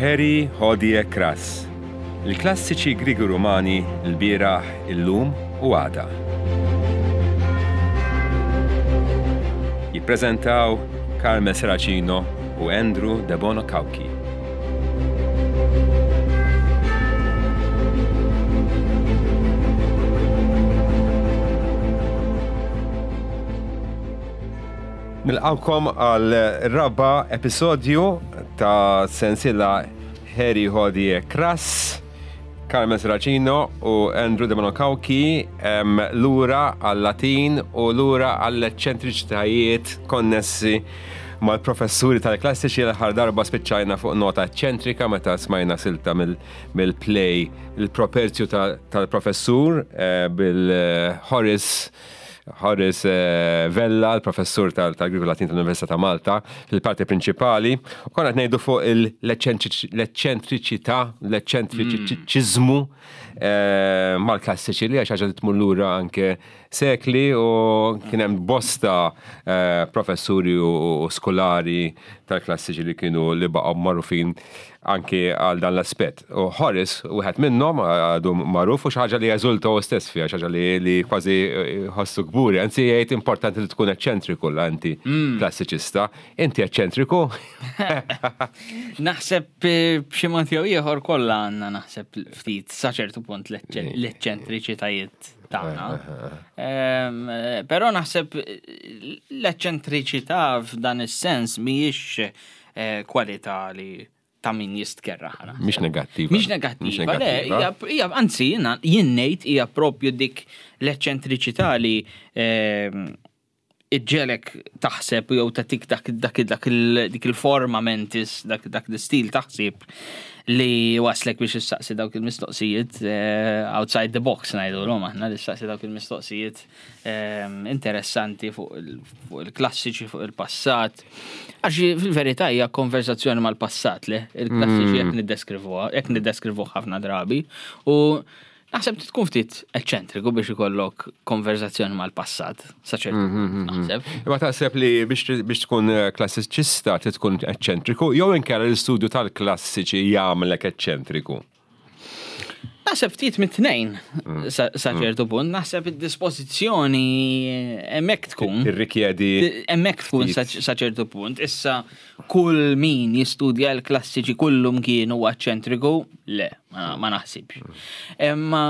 Heri Hodie Crass, il-klassiċi Griegi Rumani l-bieraħ, illum u għada. Jippreżentaw Carmel Serracino u Andrew Debono Cauchi. Nilqawkom għal raba episodju ta' sensila Harry Hodie Crass, Carmen Serracino u Andrew De Cauchi lura għal-Latin u lura għall-eċċentriċitajiet konnessi mal-professuri tal-klassiċi l-aħħar darba spiċċajna fuq nota eċċentrika meta smajna silta mill-play il-properzju tal-professur eh, bil-Horace Horace eh, Vella, l-professur tal-Griegu Latin tal-Università ta' Malta, fil-parti prinċipali. U konna qed ngħidu fuq l-eċċentriċità, l-eċċentriċiżmu eh, mal-klassiċi li għax ħaġa li tmur lura anke sekli u kien hemm bosta eh, professuri u skolari tal-klassiċi li kienu li baqgħu magħrufin anki għal dan l-aspett. U Horace, wieħed minnhom għadu magħruf u xi ħaġa li jeżulta hu stess fiha, xi ħaġa li kważi jħossu kburi, anzi jgħid importanti li tkun eċċentriku la inti mm. klassiċista. Inti eċċentriku? Naħseb eh, b'xi mod jew ieħor kollha għandna naħseb ftit sa ċertu punt l-eċċentriċitajiet tagħna. Ehm, però naħseb l-eċċentriċità f'dan is-sens mhijiex eh, kwalità li ta' min jistkerra ħana. Mhix negattiva. Mhix negattiva, le, hija anzi jien ngħid hija propju dik l-eċċentriċità li ehm, iġġelek taħseb jew tatik dak dak dak dik il-forma mentis, dak dak l-istil taħsib li waslek biex issaqsi dawk il-mistoqsijiet eh, outside the box ngħidulhom aħna li ssaqsi dawk il-mistoqsijiet ehm, interessanti fuq il-klassiċi, fuq il-passat. Għax fil-verità hija konversazzjoni mal-passat le, il-klassiċi jekk mm. niddeskrivuha, jekk niddeskrivuh ħafna drabi. U naħseb tkun ftit eċċentriku biex ikollok konversazzjoni mal-passat, sa ċertu mm, mm, mm, naħseb. Imma taħseb li biex tkun eh, klassiċista trid tkun eċċentriku, jew inkella l-istudju tal-klassiċi jagħmlek eċċentriku? Naħseb ftit mit-tnejn mm. sa mm. ċertu punt, naħseb id-dispożizzjoni hemmhekk tkun. Tirrikjedi. Hemmhekk tkun sa ċertu punt. Issa kull min jistudja l-klassiċi kullum kienu eċċentriku, le, ma naħsibx. Mm. Imma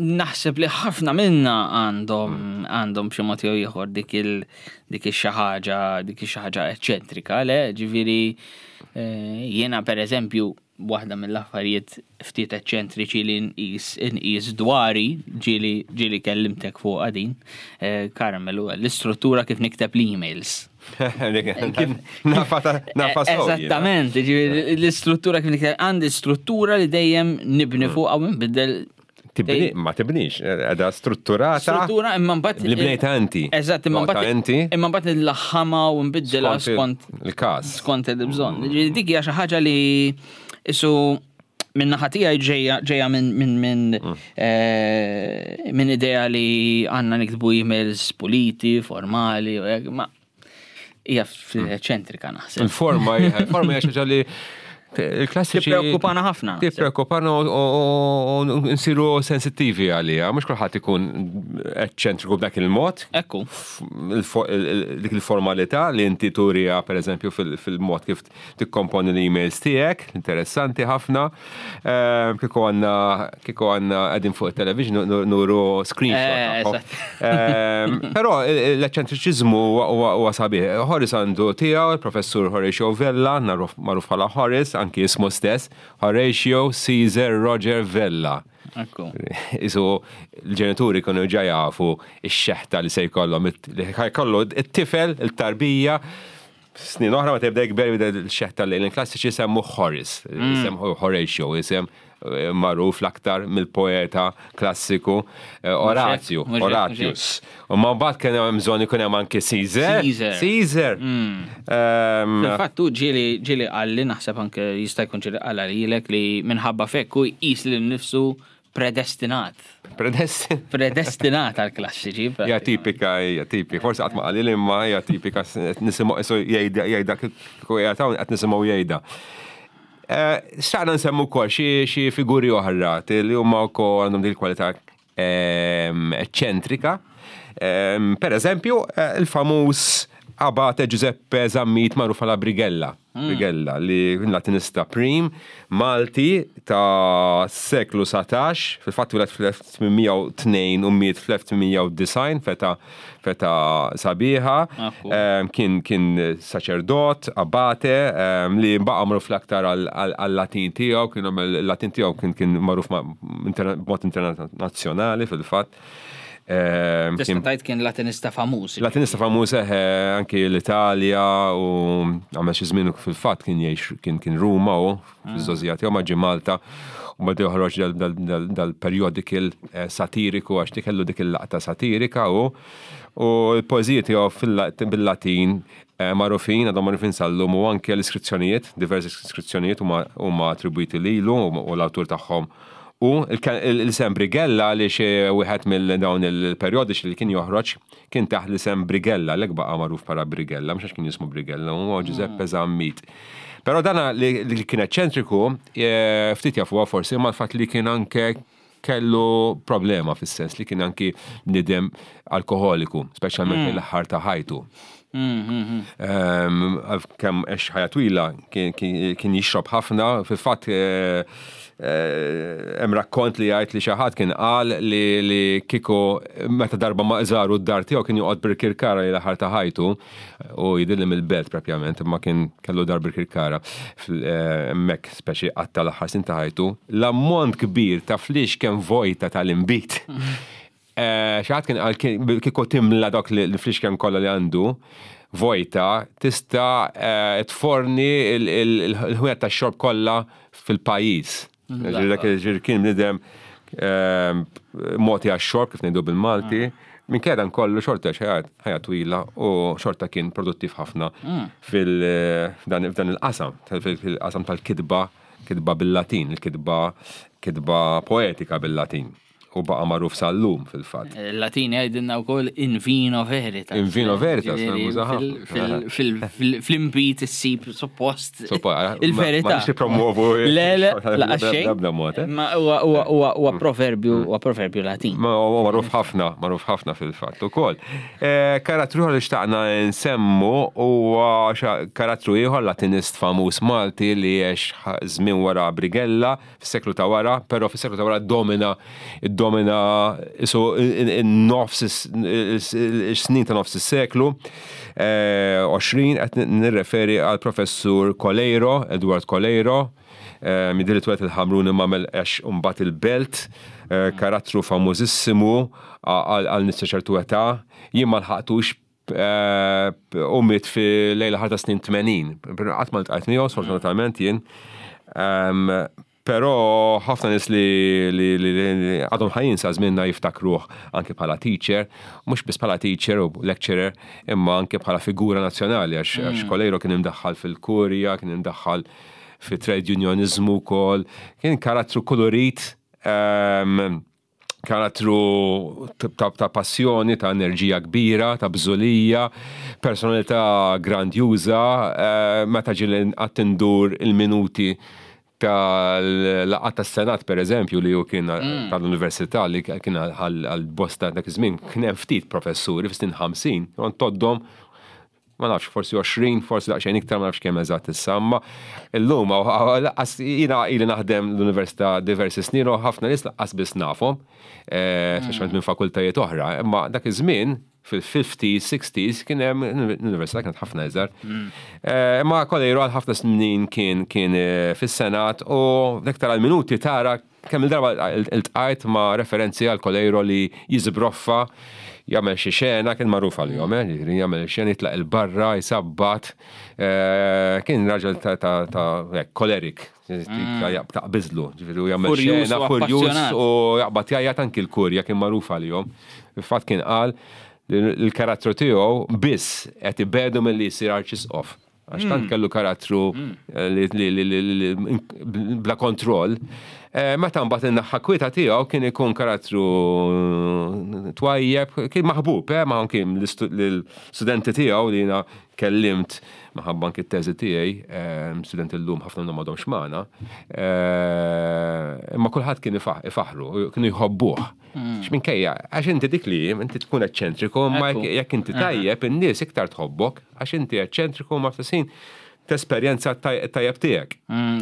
naħseb li ħafna minna għandhom għandhom b'xi mod jew ieħor dik il dik ix-xi ħaġa dik ix-xi ħaġa eċċentrika, le, ġifieri eh, jiena pereżempju waħda mill-affarijiet ftit eċċentriċi li nqis inqis dwari ġieli ġieli kellimtek fuqha din, eh, Carmel, l-istruttura kif nikteb l-emails. Nafa nafa Eżattament, l-istruttura kif nikteb għandi struttura li dejjem nibni mm. fuqha u nbiddel Tibni, ma tibnix, edha strutturata. Struttura imma mbagħad. Li bnejta inti. Eżatt, imma mbagħad. Inti. Imma mbagħad nlaħħama u nbiddilha skont il-każ. Skont il-bżonn. Mm. Dik hija xi ħaġa li isu minn naħa tiegħi ġejja ġejja minn minn minn mm. eh, minn idea li għandna niktbu emails puliti, formali, ma hija mm. ċentrika naħseb. Il-forma il-forma hija xi li il-klassiċi. Tippreokkupana ħafna. Tippreokkupana u nsiru sensittivi għalija, mhux kulħadd ikun eċċentriku b'dak il-mod. Ekku. Dik il-formalità li inti turija pereżempju fil-mod kif tikkomponi l-emails tiegħek, interessanti ħafna. Ehm, kieku għandna kieku għandna qegħdin fuq it-television nuru screenshot. Eh, ehm, però l-eċċentriċiżmu huwa sabiħ. Horace għandu tiegħu, il-professur Horatio Vella, magħruf bħala Horace, anki ismu stess, Horatio Caesar Roger Vella. Isu l-ġenituri kienu ġa jafu x-xeħta li se jkollhom, li jkollu it-tifel, il-tarbija, Snin oħra meta jibda jikber jibda l-xeħ tal-lejl klassiċi semmu Horace, mm. isem Horatio, isem eh, magħruf l-aktar mill-poeta klassiku eh, Orazio, Horatius. U ma mbagħad kien hemm bżonn ikun hemm anke Caesar. Caesar. Mm. Ehm, Fil-fatt hu ġieli ġieli qalli naħseb anke jista' jkun ġieli qal lilek li minħabba fekk hu jqis lil nifsu Predestinat. Predestinat. Predestinat għal klassiċi. Hija tipika, hija tipika. Forsi qatt ma qalil imma hija tipika nisimgħu jgħidha jgħidha kieku qiegħed hawn qed nisimgħu jgħidha. Xtaqna nsemmu wkoll xi figuri oħra li huma wkoll għandhom din il-kwalità eċċentrika. Per eżempju, il-famuż Abate Giuseppe Zammit magħruf bħala Brigella. Brigella li kien Latinista prim Malti ta' seklu 19, fil-fatt twiled fl-1802 u miet fl-1890 feta feta sabiħa. Kien kien saċerdot, abate, li baqa' magħruf l-aktar għal-Latin tiegħu, kien għamel il-Latin tiegħu kien kien magħruf b'mod internazzjonali fil-fatt. Tista' tgħid kien Latinista famuż. Latinista famuż eħe anki l-Italja u għamel xi żmien fil-fatt kien jgħix kien kien Ruma u fiż-żgħożija tiegħu ma ġie Malta u beda joħroġ dal-periodical satiriku għax dik kellu dik il-laqta satirika u u l-poeżiji tiegħu bil-Latin magħrufin, għadhom magħrufin sal-lum u anke l-iskrizzjonijiet, diversi iskrizzjonijiet huma attribwiti lilu u l-awtur tagħhom U l-isem Brigella għaliex wieħed mill dawn il-perjodiċi li kien joħroġ kien taħt l-isem Brigella, għalhekk baqa' magħruf bħala Brigella, mhux għax kien jismu Brigella, huwa Giuseppe Zammit. Però dana li kien eċċentriku, ftit jafuha forsi, imma l-fatt li kien anke kellu problema fis-sens li kien anki bniedem alkoħoliku, speċjalment lejn l-aħħar ta' ħajtu. Kemm għex ħajja twila kien jixrob ħafna, fil-fatt hemm rakkont li jgħid li xi ħadd kien qal li kieku meta darba ma żaru d-dar tiegħu kien joqgħod Birkirkara li l-aħħar ta' ħajtu u jidhirli mill-belt propjament imma kien kellu dar Birkirkara hemmhekk speċi qatta' l-aħħar snin ta' ħajtu. L-ammont kbir ta' fliexken vojta tal-inbid Xi ħadd kien qal kieku timla dawk l-flixken kollha li għandu vojta tista' tforni l-ħwienet tax-xorb kollha fil-pajjiż. Ġifieri kien bniedem mogħti għax-xorb kif ngħidu bil-Malti. Minkejja dan kollu xorta ħajja twila u xorta kien produttiv ħafna f'dan il-qasam, fil-qasam tal-kitba, kitba bil-Latin, il-kitba kitba poetika bil-Latin. U baqa' magħruf sal-lum fil-fatt. Il-Latin jgħidilna wkoll in vino veritas. In vino veritas, Fl-inbid issib suppost il-verità. Ma nix nippromuovu. Le, le, laqas xejn. B'ebda mod. Ma huwa proverbju, huwa proverbju Latin. Ma huwa magħruf ħafna, magħruf ħafna fil-fatt ukoll. Karattru ieħor li xtaqna nsemmu huwa karattru ieħor Latinist famuż Malti li għex żmien wara Brigella, fis-seklu ta' wara, però fis-seklu ta' wara ddomina ddomina isu nofs is-snin ta' nofs is-seklu 20 qed nirreferi għal professur Coleiro, Edward Coleiro, jidhirli tweled il-Ħamrun imma għamel għex imbagħad il-Belt, karattru famużissimu għal nies ta' ċertu età, jien ma lħaqtux U miet fi lejla ħar ta' snin 80. Qatt ma ltqajt miegħu, sfortunatament jien. Però ħafna nies li għadhom ħajjin sa żmienna jiftakruh anke bħala teacher, mhux biss bħala teacher u lecturer, imma anke bħala figura nazzjonali għax Coleiro kien imdaħħal fil-kurja, kien imdaħħal fit-trade unionizmu wkoll, kien karattru kulurit karattru ta' passjoni, ta' enerġija kbira, ta' bżulija, personalità grandjuża, meta ġieli qatt indur il-minuti tal-laqgħat tas-Senat pereżempju li hu kien tal-Università li kien għal bosta dak iż-żmien kien hemm ftit professuri fis-snin 50, kont tgħoddhom ma nafx, forsi 20, forsi daqsxejn iktar, ma nafx kemm eżatt issa, imma illum laqqas jiena ili naħdem l-università diversi snin u ħafna nies laqqas biss nafhom, eh, speċjalment minn fakultajiet oħra, imma dak iż-żmien fil-50s, 60s kien hemm l-università kienet ħafna iżgħar. Eh, imma Kolejru għal ħafna snin kien kien eh, fis-Senat u dak tara l-minuti tara Kemm il-darba iltqajt ma' referenzi għal Coleiro li jiżbroffa, jagħmel xi xena, kien magħruf għalihom, eh, jiġifieri jagħmel xena jitlaq 'il barra, jsabbat, kien raġel ta' kolerik, taqbiżlu, ġifieri u jagħmel xena, furjuż u jaqbad jgħajjat anki l-kurja kien magħruf għalihom. Fil-fatt kien qal li l-karattru tiegħu biss qed ibegħdu milli jsir arċisqof. Għax tant kellu karattru li bla kontroll. Meta mbagħad in-naħa kwieta tiegħu kien ikun karattru twajjeb, kien maħbub, ma anki l-studenti tiegħu li jiena kellimt minħabba anki t-teżi tiegħi, studenti llum ħafna minnhom m'għadhomx magħna, imma kulħadd kien ifaħħru, kienu jħobbuh. X'minkejja, għax inti dik li inti tkun eċċentriku, ma jekk inti tajjeb in-nies iktar tħobbok għax inti eċċentriku ma fl-istess tesperjenza tajjeb tiegħek.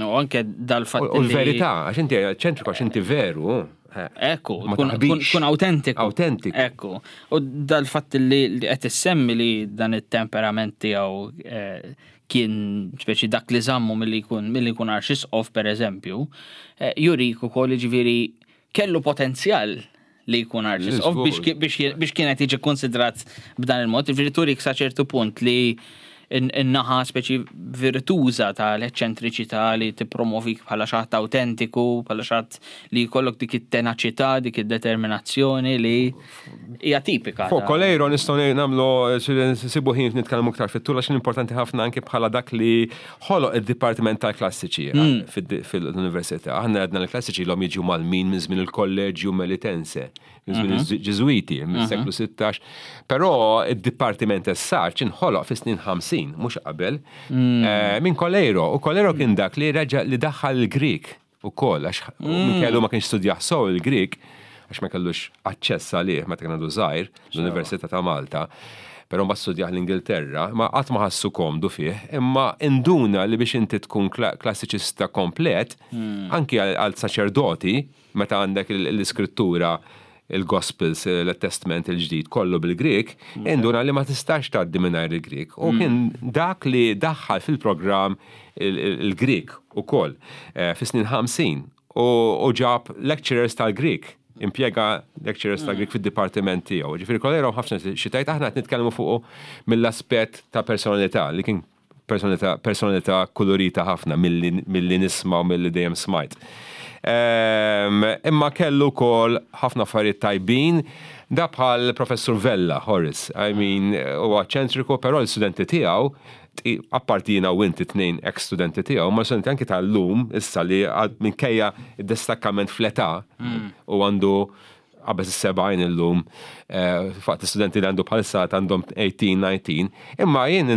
U anke dal-fatt. U l-verità, għax inti eċċentriku għax inti veru. Ekku, tkun autentiku. Autentiku. Ekku. U dal-fatt li qed issemmi li dan it-temperament tiegħu eh, kien speċi dak li żammu milli jkun milli jkun arċisqof pereżempju, eh, jurik ukoll jiġifieri kellu potenzjal li jkun arċisqof biex kienet jiġi konsidrat b'dan il-mod, jiġifieri turik sa ċertu punt li in-naħa speċi virtuża tal-eċċentriċità li tippromovik bħala xi ħadd awtentiku, bħala xi ħadd li jkollok dik it-tenaċità, dik id-determinazzjoni li hija tipika. Fuq Coleiro nistgħu nagħmlu nsibu ħin nitkellmu iktar fit-tul għax importanti ħafna anke bħala dak li ħoloq id-Dipartiment tal-Klassiċi fil-Università. Aħna għedna l-klassiċi l-om jiġu mal-min minn żmien il-Kolleġju Melitense, minn żmien il-Ġiżwiti, mis-seklu 16. Però id-Dipartiment as such inħoloq fis-snin 50, mhux qabel, minn Coleiro. U Coleiro kien dak li reġa' li daħħal il-Grieg ukoll, għax kellu ma kienx studjah sew il-Grieg, għax ma kellux aċċess għalih meta kien għadu żgħir l-Università ta' Malta. Però ma studjah l-Ingilterra, ma qatt ma ħassu komdu fih, imma induna li biex inti tkun klassiċista komplet, anki għal saċerdoti, meta għandek l-iskrittura, il-Gospels, il-Testament il-ġdid kollu bil-Grieg, induna li ma tistax tgħaddi mingħajr il-Grieg. U kien dak li daħħal fil-programm il-Grieg ukoll fis-snin 50 u ġab lecturers tal-Grieg, impjega lecturers tal-Grieg fid-dipartiment tiegħu. Ġifieri Coleiro ħafna xi tgħid, aħna qed nitkellmu fuqu mill-aspett ta' personalità li kien personalità kolorita ħafna milli nisma' u milli dejjem smajt. Imma kellu wkoll ħafna affarijiet tajbin, da bħal Professur Vella, Horace, I mean, huwa eċċentriku, però l-studenti tiegħu, apparti jiena u inti tnejn ex-studenti tiegħu, ma studenti anki tal-lum issa li minkejja id-destakkament fl-età u għandu qabeż is-70 illum, fatt studenti li għandu bħalissa għandhom 18, 19, imma jien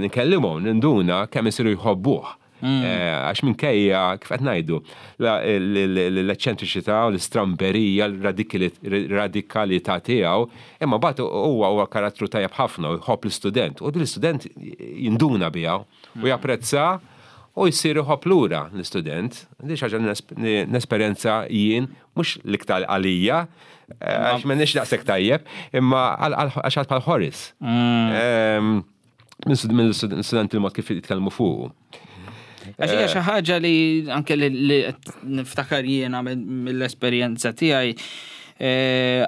nkellimhom, ninduna kemm isiru jħobbuh. Għax minkejja, kif qed ngħidu, l-eċċentriċità u l-istramberija, l-radikalità tiegħu, imma mbagħad huwa karattru tajjeb ħafna u jħobb l-istudent. U l-istudent jinduna biha u japprezza u jsir iħobb lura l-istudent. Di xi ħaġa li nesperjenza jien, mhux l-iktar għalija, għax m'għandix daqshekk tajjeb, imma għax ħadd bħal Horace. Minn studenti il-mod kif jitkellmu fuqu. Għax hija xi ħaġa li anke li niftakar jiena mill-esperjenza tiegħi,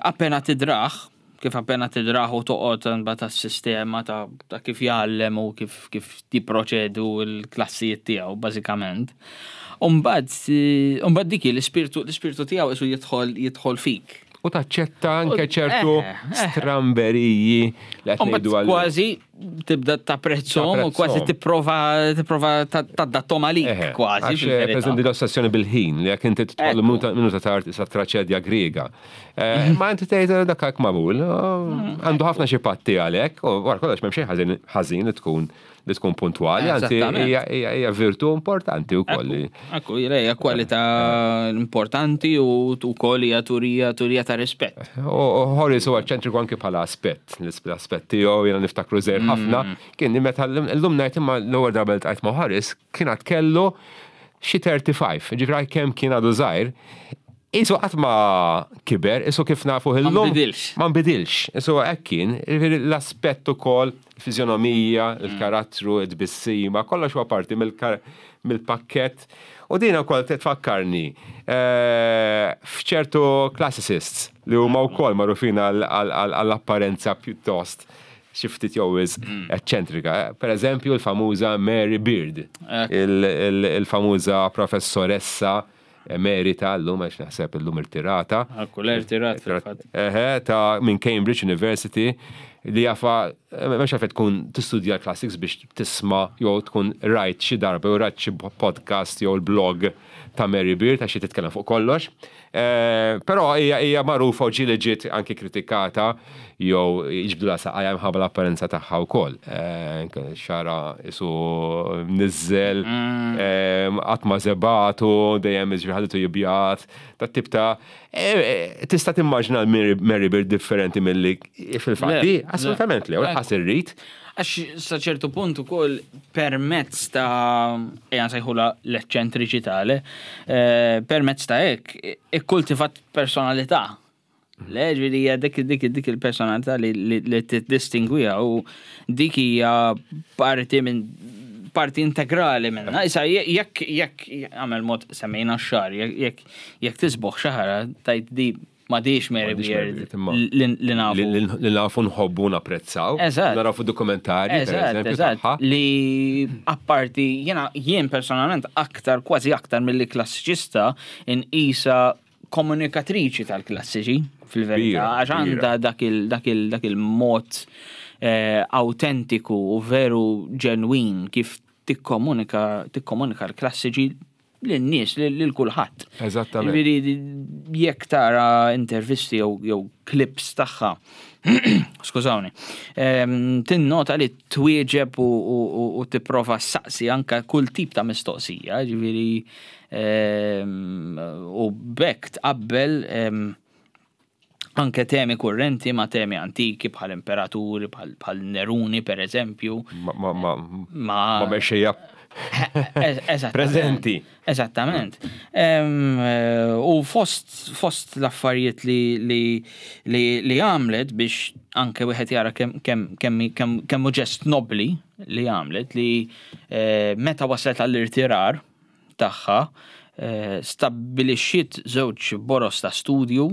appena tidraħ, kif appena tidraħ u toqgħod mbagħad tas-sistema ta' kif jgħallem u kif jipproċedu l-klassijiet tiegħu bażikament. U mbagħad dik l-ispirtu tiegħu isu jidħol fik. U taċċetta anke ċertu stramberiji li qed ngħidu għal. Kważi tibda tapprezzhom u kważi tipprova tadattom għalik kważi. Għax, per eżempju, l-ossessjoni bil-ħin, li jekk inti tidħol minuta tard isa traċedja Griega. Ma inti tgħid dak hekk magħmul, għandu ħafna xi patti għalhekk, u wara kollox m'hemm xejn ħażin li tkun puntwali, anzi hija virtu importanti wkoll. Ekku, hija kwalità importanti u wkoll hija turija ta' rispett. U Horace huwa eċċentriku anke bħala aspett, l-aspett tiegħu jiena niftakru żgħir ħafna, kien meta llum ngħid imma l-ewwel darba li ltqajt ma' Horace kien għad kellu xi 35, ġifieri kemm kien għadu żgħir, Isu qatt ma kiber, isu kif nafu illum. Ma nbidilx. Ma nbidilx. Isu hekk kien, l-aspett ukoll, il-fiżjonomija, il-karattru, it-tbissima, kollox huwa parti mill-pakkett. U din ukoll tfakkarni f'ċertu classicists li huma wkoll magħrufin għall-apparenza pjuttost xi ftit jew wisq eċċentrika. Per eżempju, l-famuża Mary Beard, il-famuża professoressa emerita llum, għax naħseb illum irtirata. Ekku, l-irtirat fil-fatt. Eħe, ta' minn Cambridge University li jafa, m'hemmx għalfejn tkun tistudja l-classics biex tisma' jew tkun rajt xi darba jew rajt xi podcast jew l-blog ta' Mary Beard għax hi titkellem fuq kollox. Eh, però hija magħrufa u ġieli ġiet anki kritikata jew jiġbdulha saqajha minħabba l-apparenza tagħha wkoll. Eh, xara isu mniżżel, mm. qatt ma żebatu, dejjem iġri ħallitu jibjat, ta' tip ta' tista' timmaġina Mary Beard differenti milli fil-fatti, assolutament le, u lanqas irrid. Għax sa ċertu punt ukoll permezz ta' ejja nsejħula l-eċċentriċità, le, eh, permezz ta' hekk ikkultivat personalità. Le, ġifieri hija dik dik dik il-personalità li li tiddistingwiha u dik hija parti minn parti integrali minna. Issa jekk jekk għamel mod semmejna x-xagħar, jekk jekk tisboħ xaħra tajt di M'għadhiex Mary Beard li nafu. Li nafu nħobbu napprezzaw. Eżatt. Naraw fuq dokumentarji, per eżempju. Eżatt. Li apparti jiena jien personalment aktar kważi aktar milli klassiċista inqisha komunikatriċi tal-klassiċi fil-verità għax għandha dak il-mod eh, autentiku u veru ġenwin kif tikkomunika tikkomunika l-klassiċi lin-nies, lil kulħadd. Eżattament. Jiġifieri jekk tara intervisti jew clips tagħha, skużawni, ehm, tinnota li twieġeb u tipprova saqsi anka kull tip ta' mistoqsija, ġifieri ehm, u bekk tqabbel ehm, anke temi kurrenti ma' temi antiki bħal imperaturi, bħal Neruni per eżempju. Ma ma ma mexxejja preżenti. Eżattament. Eh, u fost fost l-affarijiet li li li, li għamlet biex anke wieħed jara kemm kemm kemm kemm ġest nobli li għamlet li eh, meta waslet għall-irtirar tagħha stabbilixxiet żewġ boroż ta' studju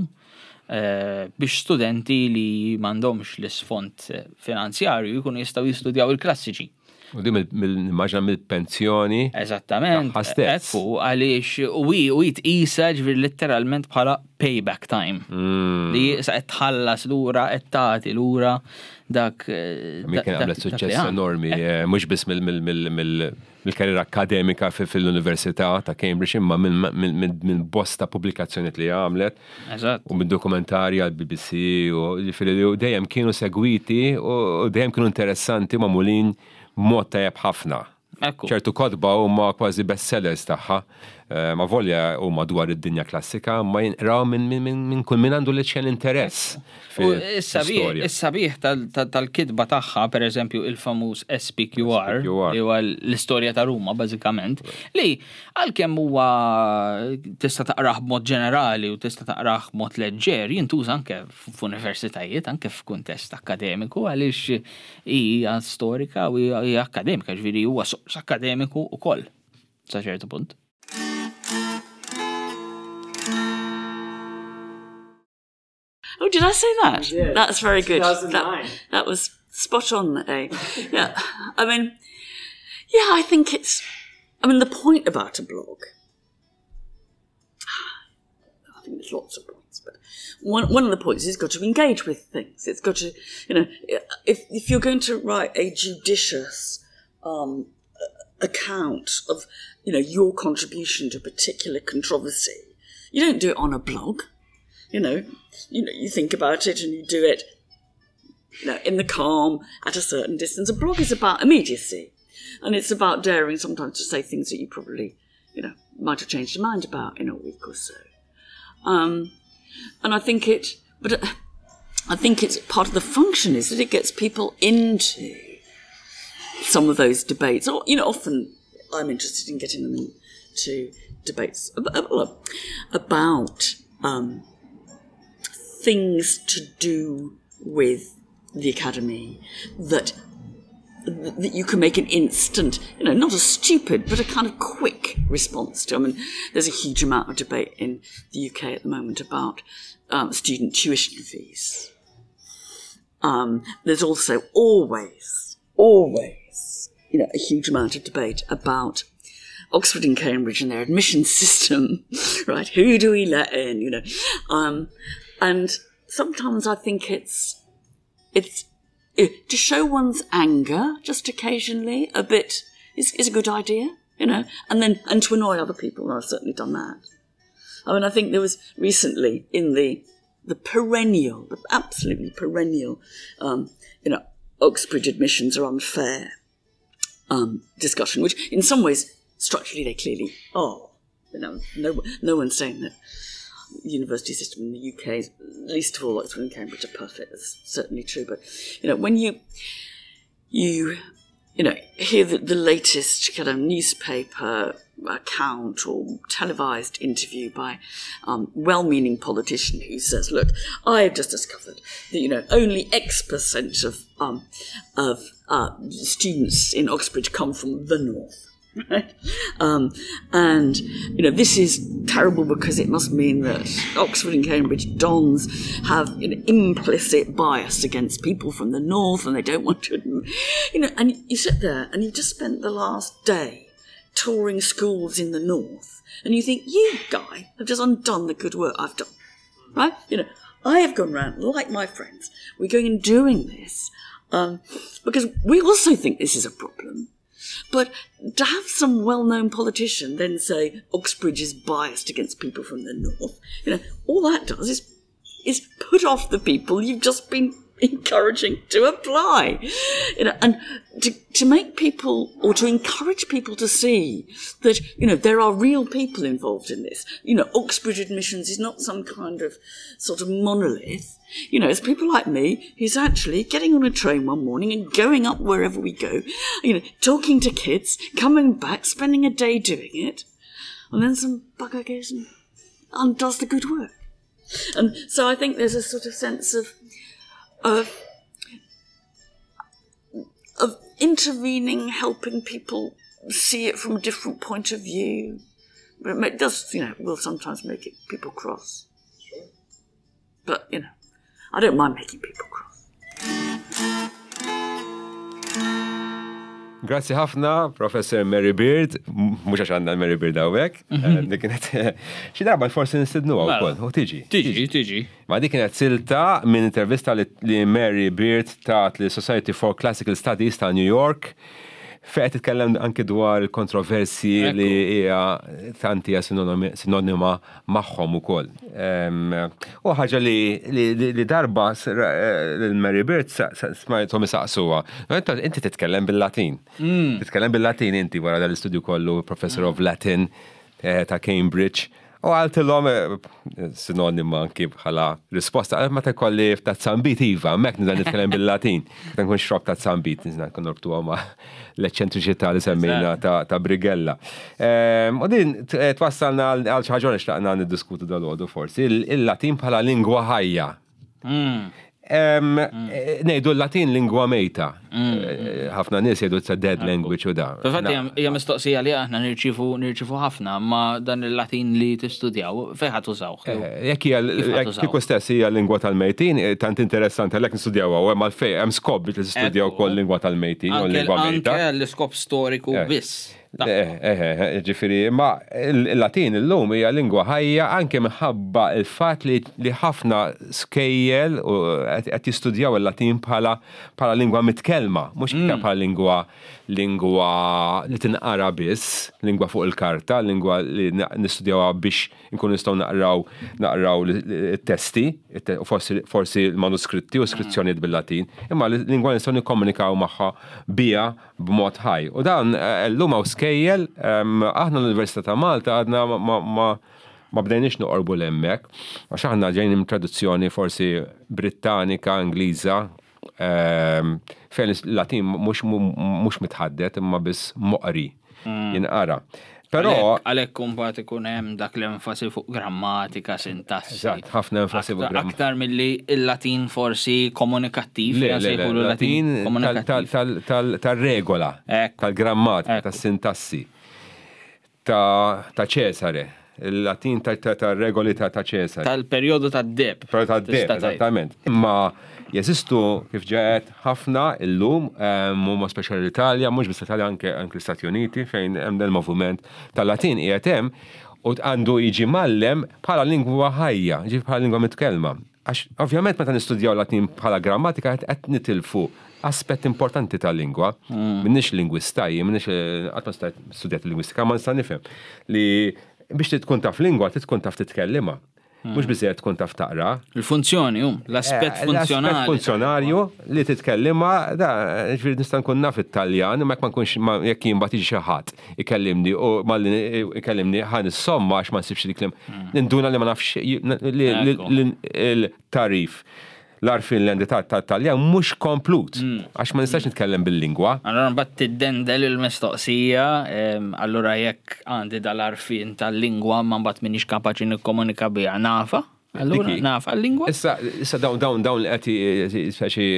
biex studenti li m'għandhomx l-isfond finanzjarju jkunu jistgħu jistudjaw il-klassiċi. U din nimmaġina mill-pensjoni. Eżattament. Tagħha stess. Ekku, għaliex u hi u hi tqisha ġifieri letteralment bħala payback time. Mm. Li sa qed tħallas lura, qed tagħti lura dak. Min kien għamlet suċċess enormi, eh, mhux biss mill-karriera akkademika fil-Università ta' Cambridge imma minn bosta pubblikazzjonijiet li għamlet. Eżatt. U minn dokumentarji għal BBC u ġifieri li dejjem kienu segwiti u dejjem kienu interessanti magħmulin b'mod tajjeb ħafna. Ekku. Ċertu kotba huma kważi bestsellers tagħha. Eh, ma volja huma dwar id-dinja klassika, ma jinqraw minn kull min għandu l-iċken interess. Is-sabiħ tal-kitba tagħha, per eżempju, il-famuż SPQR, li huwa l-istorja ta' Ruma bażikament, li għalkemm huwa tista' taqrah b'mod ġenerali u tista' taqrah b'mod leġġer, jintuża anke f'universitajiet, anke f'kuntest akkademiku għaliex hija storika u hija akkademika, ġifieri huwa sors akkademiku wkoll sa ċertu punt. Oh, did I say that? That's very good. That, that was spot on, eh? Yeah. I mean, yeah, I think it's, I mean, the point about a blog, I think there's lots of points, but one, one of the points is got to engage with things. It's got to, you know, if, if you're going to write a judicious um, account of, you know, your contribution to a particular controversy, you don't do it on a blog. You know, you know, you think about it and you do it you know, in the calm at a certain distance. A blog is about immediacy. And it's about daring sometimes to say things that you probably, you know, might have changed your mind about in a week or so. Um, and I think it, but uh, I think it's part of the function is that it gets people into some of those debates. Or, you know, often I'm interested in getting them into debates about um, things to do with the academy that that you can make an instant, you know, not a stupid, but a kind of quick response to. I mean, there's a huge amount of debate in the UK at the moment about um, student tuition fees. Um, there's also always, always, you know, a huge amount of debate about Oxford and Cambridge and their admission system, right? Who do we let in, you know? Um, and sometimes I think it's, it's eh, to show one's anger just occasionally a bit is, is a good idea, you know, and then, and to annoy other people. I've certainly done that. I mean, I think there was recently in the the perennial, the absolutely perennial, um, you know, Oxbridge admissions are unfair um, discussion, which in some ways structurally they clearly are. You know, no, no one's saying that the university system in the UK, least of all Oxford and Cambridge, are perfect. That's certainly true. But you know, when you you you know hear the, the latest kind of newspaper account or televised interview by um, well-meaning politician who says, "Look, I have just discovered that you know only X percent of um, of uh, students in Oxbridge come from the north." Right? Um, and, you know, this is terrible because it must mean that Oxford and Cambridge dons have an implicit bias against people from the north and they don't want to, you know, and you sit there and you've just spent the last day touring schools in the north and you think, you guy have just undone the good work I've done, right? You know, I have gone round, like my friends, we're going and doing this um, because we also think this is a problem. But to have some well-known politician then say Oxbridge is biased against people from the north, you know, all that does is is put off the people you've just been encouraging to apply. You know, and to, to make people or to encourage people to see that, you know, there are real people involved in this. You know, Oxbridge admissions is not some kind of sort of monolith. You know, it's people like me who's actually getting on a train one morning and going up wherever we go, you know, talking to kids, coming back, spending a day doing it, and then some bugger goes and undoes the good work. And so I think there's a sort of sense of of of intervening, helping people see it from a different point of view. But it does, you know, will sometimes make it people cross. Sure. But, you know, I don't mind making people cross. Grazzi ħafna, Professor Mary Beard, mhux għax għandna Mary Beard hawnhekk, mhm. eh, dik kienet xi darba forsi nistidnuha mela. wkoll, u tiġi. Tiġi, tiġi. Ma dik kienet silta minn intervista li Mary Beard tat li Society for Classical Studies ta' New York fejn qed titkellem anki dwar il-kontroversji li hija tant hija sinonima magħhom ukoll. U ħaġa li darba l-Mary Bird smajthom isaqsuha. Inti titkellem bil-Latin. Mm. Titkellem bil-Latin inti wara dal-istudju kollu Professor of Latin eh, ta' Cambridge. U għaltilhom eh, sinonima anki bħala risposta, għal meta kolli ta' zambit iva, mek nida nitkellem bil-Latin. Meta nkun xrob ta' zambit, nizna nkun norbtuha ma' l-eċċentriċità li semmejna ta' Brigella. Ehm, u din eh, twassalna għal xi ħaġa li xtaqna niddiskutu dal-għodu forsi, il-Latin bħala lingwa ħajja. Mm. Eh, Nejdu l-Latin lingwa mejta. Mm. Eh, ħafna nies jgħidu it's a dead language u da. Fil-fatt hija mistoqsija li aħna nirċivu nirċivu ħafna ma dan il-Latin li tistudjaw fejn ħadd użawh. Eh, jekk hija kieku stess hija lingwa tal-mejtin, tant interessanti għalhekk nistudjawha u hemm għalfejn hemm skop biex nistudjaw ukoll lingwa tal-mejtin u lingwa mejta. Anke l-iskop storiku biss. Eh, eh, eh, ġifiri, ma il-Latin illum hija lingwa ħajja anke minħabba il-fatt li ħafna skejjel qed jistudjaw il-Latin bħala bħala lingwa mitkellma, mhux iktar mm. bħala lingwa lingwa li tinqara biss, lingwa fuq il-karta, lingwa li nistudjawha biex nkunu nistgħu naqraw naqraw it-testi, forsi l-manuskritti u skrizzjonijiet bil-Latin, imma lingwa nistgħu nikkomunikaw magħha biha b'mod ħaj. U dan eh, llum hawn skejjel, ehm, aħna l-Università ta' Malta għadna ma ma bdejniex noqorbu l-hemmhekk, għax aħna ġejn minn traduzzjoni forsi Brittanika, Ingliża, ehm, fejn il-Latin mhux mitħaddet imma biss moqri mm. jinqara. Però għalhekk imbagħad ikun hemm dak l-enfasi fuq grammatika, sintassi. Eżatt, ħafna enfasi fuq grammatika. Aktar milli il-Latin forsi komunikattiv, le, le, le, Latin tal-regola, tal-grammatika, tas-sintassi ta' Ċesare il-Latin ta' regoli ta' Ċesare. Tal-perjodu tad-deb. Perjodu tad-deb, eżattament. Imma jeżistu kif ġaet ħafna illum, ehm, huma speċjali l-Italja, mhux biss l-Italja anke anke l-Istati Uniti fejn hemm dan il-moviment tal-Latin qiegħed hemm u għandu jiġi mallem bħala lingwa ħajja, ġifi bħala lingwa mitkellma. Għax ovvjament meta nistudjaw Latin bħala grammatika qed nitilfu aspett importanti tal-lingwa. Mm. Minnix lingwista, jien minnix eh, qatt ma studjat lingwistika, ma nista' nifhem li Biex tkun taf lingwa, tkun taf titkellimha. Mhux biżejjed tkun taf taqra. Il-funzjoni, um, l-aspett eh, funzjonali. L-aspett funzjonarju li titkellimha, da, ġifieri nista' nkun naf it-Taljan, ma jekk ma nkunx jekk jien bagħad jiġi xi ħadd ikellimni u malli ikellimni ħa nissomma għax ma nsibx dik hmm. ninduna li ma nafx il-tarif l-għarfien li għandi tat-Taljan mhux komplut, mm. għax ma nistax nitkellem bil-lingwa. Allura mbagħad tiddendel il-mistoqsija, allura jekk għandi dal-għarfien tal-lingwa ma mbagħad m'iniex kapaċi nikkomunika biha nafa. Allura nafa l-lingwa. Issa issa dawn dawn dawn li qed speċi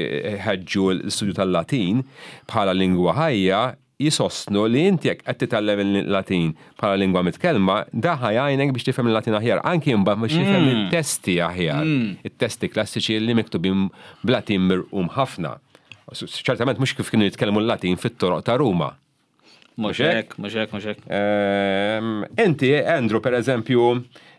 ħeġġu l-istudju tal-Latin bħala lingwa ħajja jsostnu li inti jekk qed titgħallem il-Latin bħala lingwa mitkellma, dan ħa jgħinek biex tifhem il-Latin aħjar, anki imbagħad biex tifhem it-testi aħjar, it-testi klassiċi li miktubin b'Latin mirqum ħafna. Ċertament mhux kif kienu jitkellmu l-Latin fit-toroq ta' Ruma. Mhux hekk, mhux hekk, mhux hekk. Inti, Andrew, per eżempju,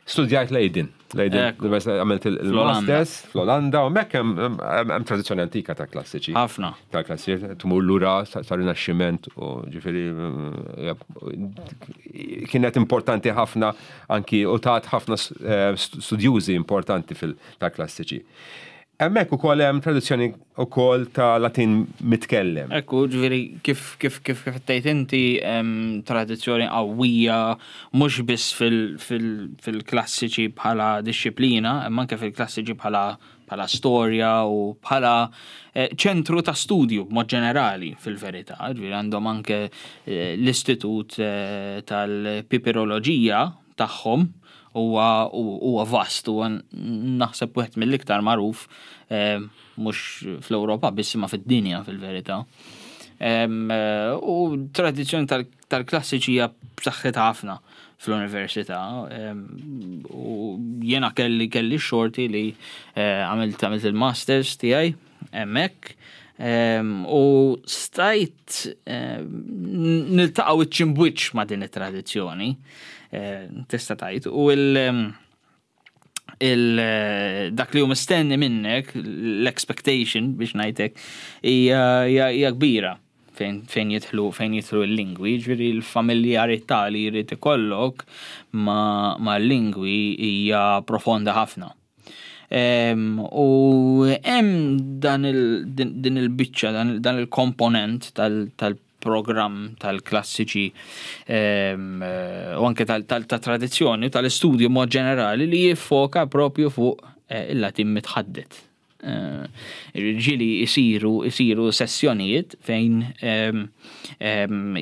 studjajt Leiden. Leiden, għamilt il-masters fl-Olanda, u mekk hemm tradizzjoni antika ta' klassiċi. Ħafna. Ta' klassiċi, tmur lura sa' rinaxximent u ġifieri kienet importanti ħafna anki u tat ħafna eh, studjużi importanti fil-ta' klassiċi. Hemmhekk ukoll hemm tradizzjoni ukoll ta' Latin mitkellem. Ekku, ġifieri kif kif kif kif tgħid inti hemm tradizzjoni qawwija mhux biss fil-klassiċi bħala dixxiplina, imma anke fil-klassiċi bħala bħala storja u bħala eh, ċentru ta' studju b'mod ġenerali fil-verità. Ġifieri għandhom anke eh, l-Istitut eh, tal-Pipiroloġija tagħhom huwa huwa vast huwa naħseb wieħed mill-iktar magħruf eh, mhux fl-Ewropa biss imma fid-dinja fil-verità. Eh, u tradizzjoni tal-klassiċi hija b'saħħitha ħafna fl-università. U jiena kelli kelli xorti li eh, għamilt għamilt il-masters tiegħi hemmhekk. U stajt niltaqa' wiċċ imbwiċċ ma' din it-tradizzjoni, tista' tgħid, u il- il dak li hu mistenni minnek, l-expectation biex ngħidlek, hija kbira fejn fejn jidħlu fejn jidħlu l-lingwi, ġifieri l-familjarità li jrid ikollok ma' lingwi hija profonda ħafna. U hemm dan din il-biċċa, dan il-komponent tal-programm tal-klassiċi u anke tal-tradizzjoni tal-istudju mod ġenerali li jiffoka propju fuq eh, il-Latin mitħaddet. Eh, ġieli jisiru jisiru sessjonijiet fejn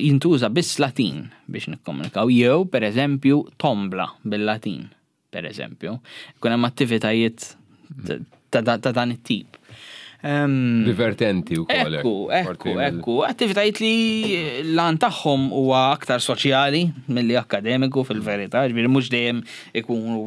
jintuża biss Latin biex nikkomunikaw jew pereżempju tombla bil-Latin. per eżempju. Ikun hemm attivitajiet ta' dan it-tip. Divertenti u koll. Ekku, ekku, ekku. Attivitajiet li l-għan tagħhom huwa aktar soċjali milli akademiku fil-verità, ġifieri mhux dejjem ikunu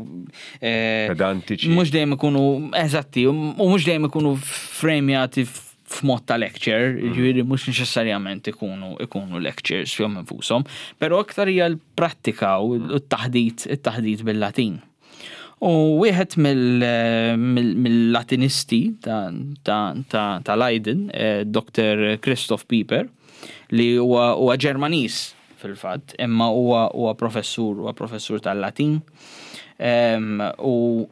eh, pedantiċi. Mhux dejjem ikunu eżatti, u mhux dejjem ikunu frejmjati f'mod ta' lecture, mm. ġifieri mhux neċessarjament ikunu ikunu lectures fihom infushom, però aktar hija l-prattika u t-taħdit it-taħdit bil-Latin. U wieħed mill-Latinisti ta' Leiden, eh, Dr. Christoph Pieper, li huwa Ġermaniż fil-fatt, imma huwa huwa professur, huwa professur tal-Latin. U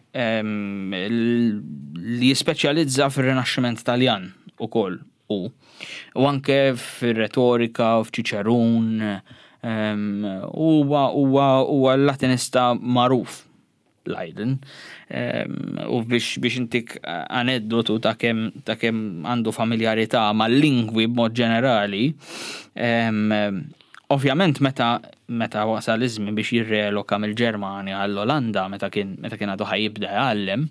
li jispeċjalizza fir-Rinaxximent Taljan ukoll u u anke fir-retorika u f'Ċiċerun huwa huwa huwa latinista magħruf Leiden. U biex biex intik aneddotu ta' kemm ta' kemm għandu familjarità mal-lingwi b'mod ġenerali, ovvjament meta meta wasal iż-żmien biex jirreloka mill-Ġermanja għall-Olanda meta kien meta kien għadu ħa jibda jgħallem,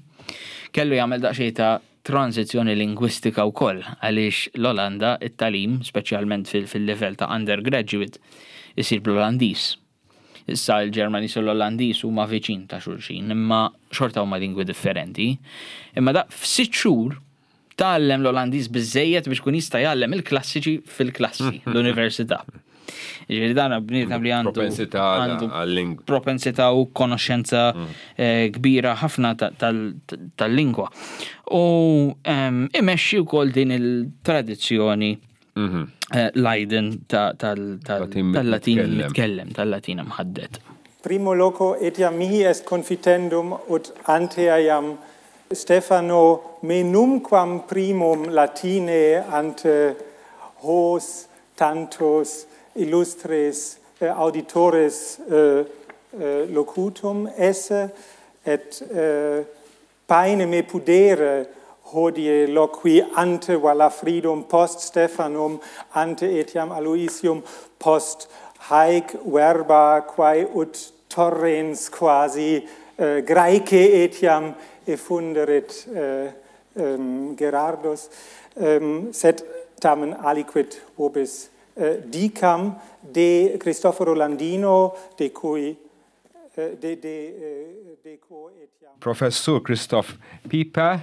kellu jagħmel daqsxejn ta' tranżizzjoni lingwistika wkoll għaliex l-Olanda it-tagħlim, speċjalment fil-livell ta' undergraduate, isir bl-Olandiż. Issa l-Ġermaniż u l-Olandiż huma viċin ta' xulxin, imma xorta huma lingwi differenti. Imma da f'sitt xhur tgħallem l-Olandiż biżejjed biex kun jista' jgħallem il-klassiċi fil-klassi l-università. Ġifieri dan bniedem li għandu propensità għal-lingwa. Propensità u konoxxenza mm. eh, kbira ħafna tal-lingwa. U ehm, imexxi wkoll din il-tradizzjoni mhm. eh, Leiden tal-Latin mitkellem, tal-Latin mħaddet. Primo loco etiam mihi est confitendum ut antea iam Stefano me numquam primum Latine ante hos tantos illustres auditores locutum esse et paene me pudere hodie loqui ante Walafridum post Stephanum ante etiam Aloysium post haec verba quae ut torrens quasi Graece etiam effunderit Gerardus, sed tamen aliquid vobis dicam de Cristoforo Landino, de cui de de de quo etiam. Professur Christoph Pieper,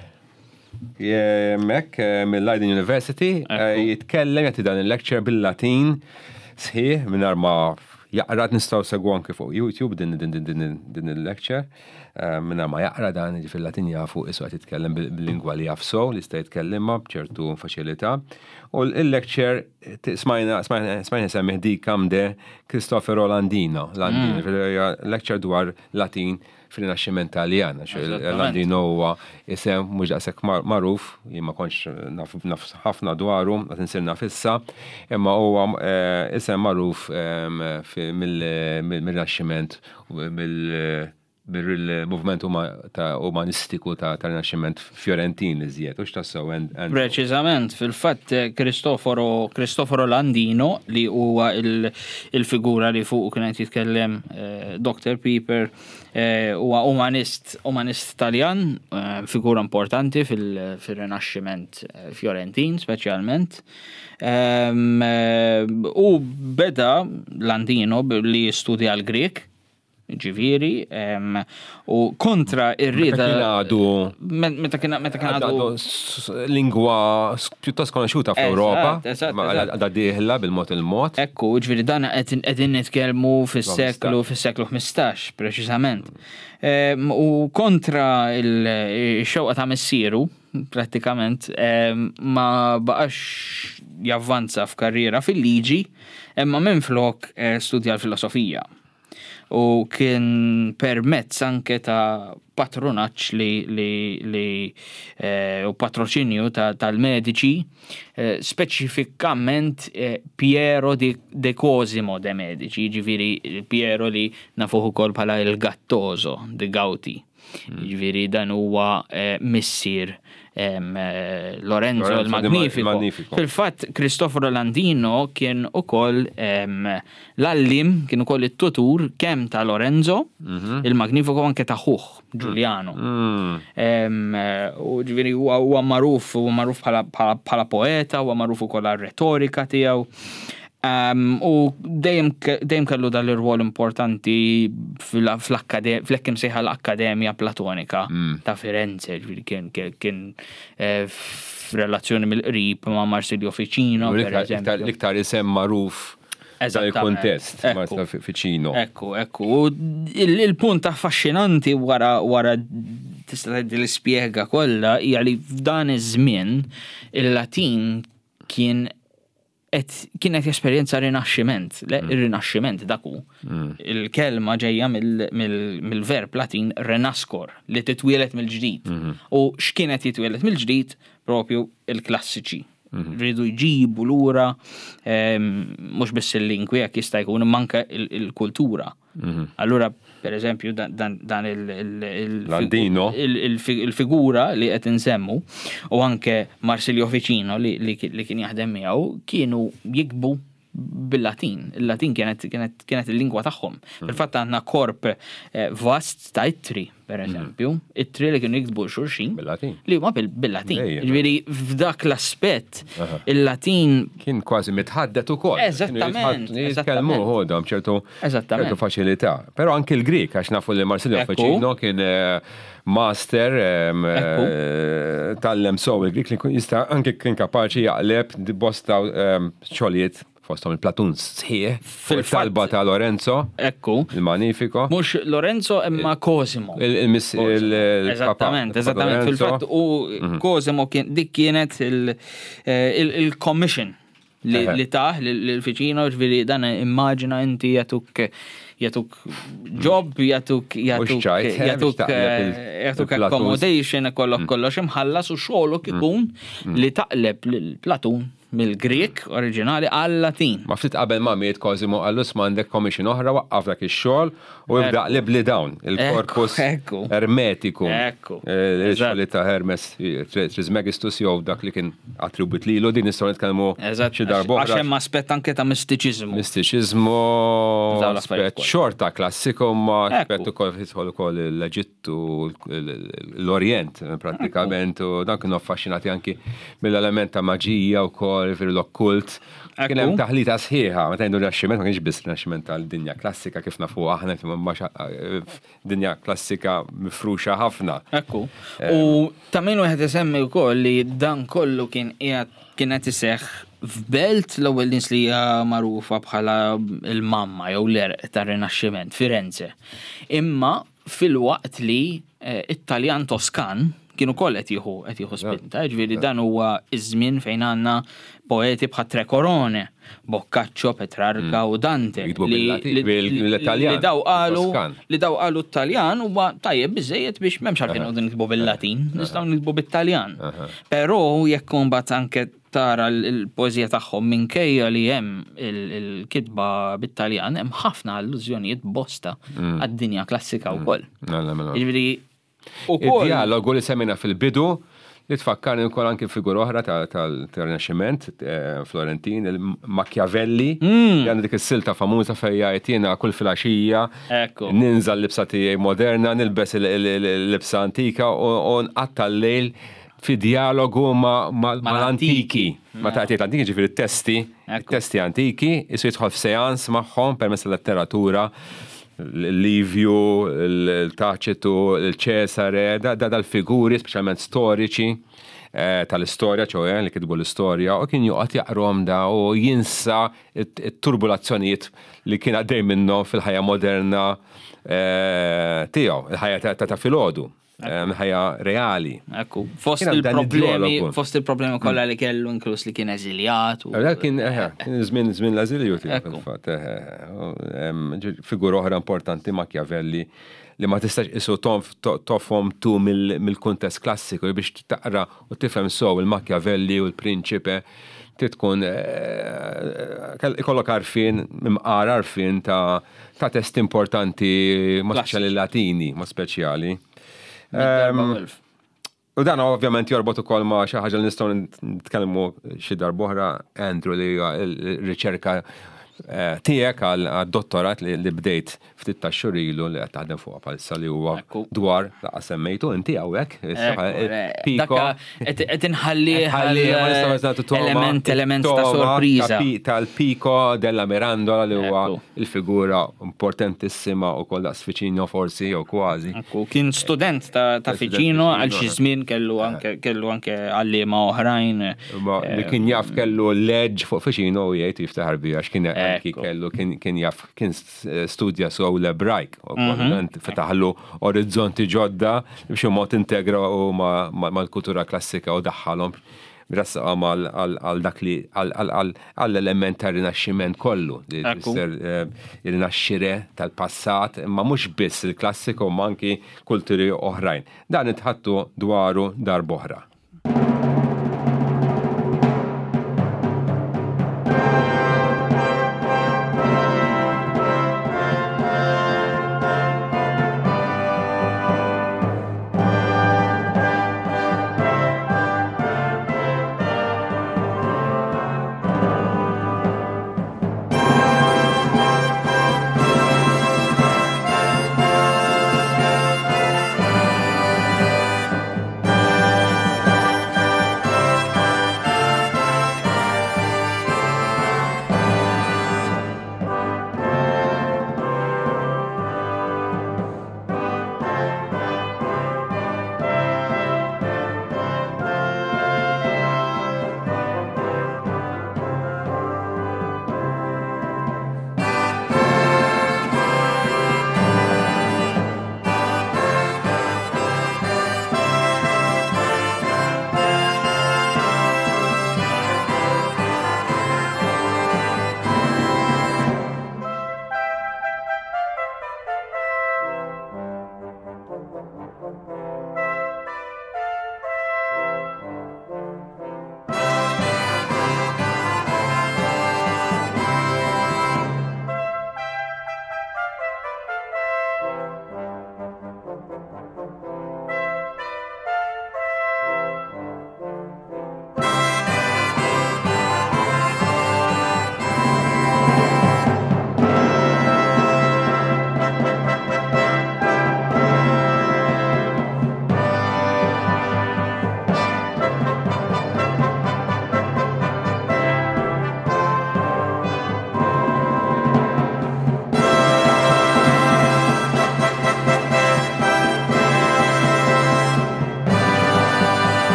hemmhekk mill-Leiden University, jitkellem jagħti dan il-lecture bil-Latin sħiħ mingħajr ma jaqra nistgħu segwu anke fuq YouTube din din il-lecture mingħajr ma jaqra dan jiġifieri Latin jafu isu qed jitkellem bil-lingwa li jaf sew li jista' jitkellimha b'ċertu faċilità. U l-lecture smajna smajna semmih dicam de Cristoforo Landino, Landino, mm. lecture dwar Latin fil-Rinaxximent Taljan, għax Landino huwa isem mhux daqshekk magħruf, jien ma kontx naf ħafna dwaru, qed insir naf issa, imma huwa eh, isem magħruf ehm, mill-Rinaxximent mill bil-movement umanistiku ta' Rinaxximent Fiorentin iżjed, u x'tassew Preċiżament, fil-fatt Cristoforo Cristoforo Landino li huwa il-figura li fuq kien qed jitkellem eh, Dr. Pieper eh, huwa umanist umanist Taljan, eh, figura importanti fil-Rinaxximent Fiorentin speċjalment. Ehm, u beda Landino li jistudja l-Grek Ġifieri, u kontra ir-rieda. Meta kien għadu. Meta kien meta kien għadu. Lingwa pjuttost konoxxuta fl-Ewropa. Għadha dieħla bil-mod il-mod. Ekku, ġifieri dan qegħdin nitkellmu fis-seklu fis-seklu 15 preċiżament. U kontra il-xewqa ta' missieru, prattikament ma baqax javvanza f'karriera fil-liġi, imma minflok eh, studja l-filosofija. U kien permezz anke ta' patronaġġ li, li, li eh, u patroċinju tal-Medici, eh, speċifikament eh, Piero di, de Cosimo de Medici, jiġifieri Piero li nafuh ukoll bħala il-Gattoso de Gauti. Jiġifieri dan huwa eh, missier eh, Lorenzo il-Magnifico. Fil-fatt Cristoforo Landino kien ukoll l-għallim, kien ukoll it-tutur kemm ta' Lorenzo mhm. il-Magnifico anke ta' ħuh Giuliano. Mm. U ġifieri huwa magħruf, huwa magħruf bħala poeta, huwa magħruf ukoll għar-retorika tiegħu. U dejjem dejjem kellu dan l-irwol importanti fl-hekk imsejħa l-Akkademja Platonika mm. ta' Firenze, ġifieri kien kien eh, f'relazzjoni mill-qrib ma' Marsilio Ficino. L-iktar isem magħruf dan il-kontest Marsilio Ficino. Ekku, ekku. Il-punt affaxxinanti wara wara tista' tgħid l-ispjega kollha hija li f'dan iż-żmien il-Latin kien qed kien qed jesperjenza rinaxximent, le mm. ir-rinaxximent dak hu. Mm. Il-kelma ġejja mill-verb Latin renascor li titwielet mill-ġdid. Mm-hmm. U x'kien qed jitwielet mill-ġdid propju il-klassiċi. Mm-hmm. Rridu jġibu lura ehm, mhux biss il-lingwi jekk jista' jkun imma anke il-kultura. Mhm. Allura, per eżempju, dan il-figura li qed insemmu u anke Marsilio Ficino li kien jaħdem miegħu kienu jikbu bil-Latin. Il-Latin kienet il-lingwa tagħhom. Mhm. Fil-fatt għandna korp eh, vast ta' ittri per mhm. eżempju, it-tri li kienu jiktbu xulxin. Bil-Latin. Li huma bil-Latin. Ġifieri f'dak l-aspett il-Latin kien kważi mitħaddet ukoll. Eżattament. Jitkellmu ħodhom ċertu ċertu faċilità. Però anki l-Grik għax nafu li Marsilio Ficino kien eh, master eh, tallem sew il-Grik li jista' anki kien kapaċi jaqleb bosta xogħlijiet fosthom il-Platun sħiħ, fil-talba ta' Lorenzo. Ekku. Il-Magnifico. Mhux Lorenzo imma Cosimo. Eżattament, eżattament. Fil-fatt u mhm. Cosimo dik kienet eh, il-commission. li tah lil Ficino, ġifieri dan immaġina inti jagħtuk jagħtuk job, jagħtuk jagħtuk jagħtuk jagħtuk accommodation, kollok kollox imħallas u xogħolok ikun li taqleb lil Platun mill-Grieg oriġinali għal-Latin. Ma ftit qabel ma miet Cosimo qallu isma' għandek commission oħra waqqaf dak ix-xogħol u ibda qlibli dawn, il-corpus ermetiku. Ekku. Il-xogħol ta' Hermes Trismegistus jew dak li kien attribwit lilu, din nistgħu nitkellmu xi darba oħra. Għax hemm aspett anke ta' mistiċiżmu. Mistiċiżmu, aspett xorta klassiku ma aspett ukoll jidħol ukoll l-Eġittu, l-Orjent prattikament u dan kienu affaxxinati anki mill-element ta' maġija wkoll, jiġifieri l-okkult. Kien hemm taħlita sħiħa, meta ngħidu Rinaxximent ma kienx biss Rinaxximent tal-dinja klassika kif nafu aħna, imma dinja klassika mifruxa ħafna. Ekku. U ta' min wieħed isemmi wkoll li dan kollu kien qiegħed kien qed iseħħ f'belt l-ewwel nies li hija magħrufa bħala l-mamma jew l-għerq tar-Rinaxximent, Firenze. Imma filwaqt li it-Taljan Toskan kien ukoll qed jieħu qed jieħu spinta, jiġifieri dan huwa ż-żmien fejn għandna poeti bħat Tre Corone, Boccaccio, Petrarca u Dante li daw qalu li daw qalu t-Taljan huwa tajjeb biżejjed biex m'hemmx għalfejn noqogħdu niktbu bil-Latin, nistgħu niktbu bit-Taljan. Però jekk imbagħad anke tara l-poeżija tagħhom minkejja li hemm il-kitba bit-Taljan hemm ħafna allużjonijiet bosta għad-dinja klassika wkoll. Mela, mela. Jiġifieri ukoll. Id-djalogu li semmejna fil-bidu li tfakkarni wkoll anki figura oħra tal-Rinaxximent Florentin, il-Machiavelli, li għandu dik is-silta famuża fejn jgħid jiena kull filgħaxija ninża' l-libsa tiegħi moderna, nilbes il-libsa antika u nqatta' l-lejl fi djalogu mal-antiki. Meta qed jgħid l-antiki ġifieri t-testi, testi antiki, isu jidħol f'seans magħhom permezz tal-letteratura, l-Livju, il-Taċitu, il-Ċesare, dal-figuri speċjalment storiċi tal-istorja, ċoe li kitbu l-istorja, u kien joqgħod jaqrom da u jinsa t-turbulazzjonijiet li kien għaddej minnhom fil-ħajja moderna tiegħu, il-ħajja ta' filgħodu. Ħajja reali. Ekku, fost il-problemi, fost il-problemi kollha li kellu inkluż li kien eżiljat. Dak kien żmien żmien l-eżilju tiegħu fil-fatt. Figura oħra importanti Machiavelli li ma tistax isu tofhom tu mill-kuntest klassiku biex taqra u tifhem sew il-Machiavelli u l-Prinċipe trid tkun ikollok għarfien, imqar għarfien ta' testi importanti, ma speċjali Latini, ma speċjali. U dan ovvjament jorbot ukoll ma' xi ħaġa li nistgħu nitkellmu xi darb'oħra, Andrew, li hija l-riċerka tiegħek għad-dottorat li bdejt ftit ta' xhur ilu li qed taħdem fuqha bħalissa li huwa dwar laqas semmejtu inti hawnhekk. Piko. Qed inħalli element element ta' sorpriża. Tal-Pico della Mirandola li huwa il-figura importantissima u koll daqs Ficino forsi jew kważi. Kien student ta' Ficino għal xi żmien kellu anke kellu anke għalliema oħrajn. Li kien jaf kellu leġġ fuq Ficino u jgħid jiftaħar biha għax kien kellu kien jaf kien studja sew l-Ebrajk, u mhm. fetaħlu orizzonti ġodda biex mod integra u mal-kultura klassika u daħħalhom rassaqhom għal dak li għall-element ta' rinaxximent kollu li tfisser eh, il-rinaxxire tal-passat, imma mhux biss il-klassiku ma anki kulturi oħrajn. Dan itħattu dwaru darb'oħra.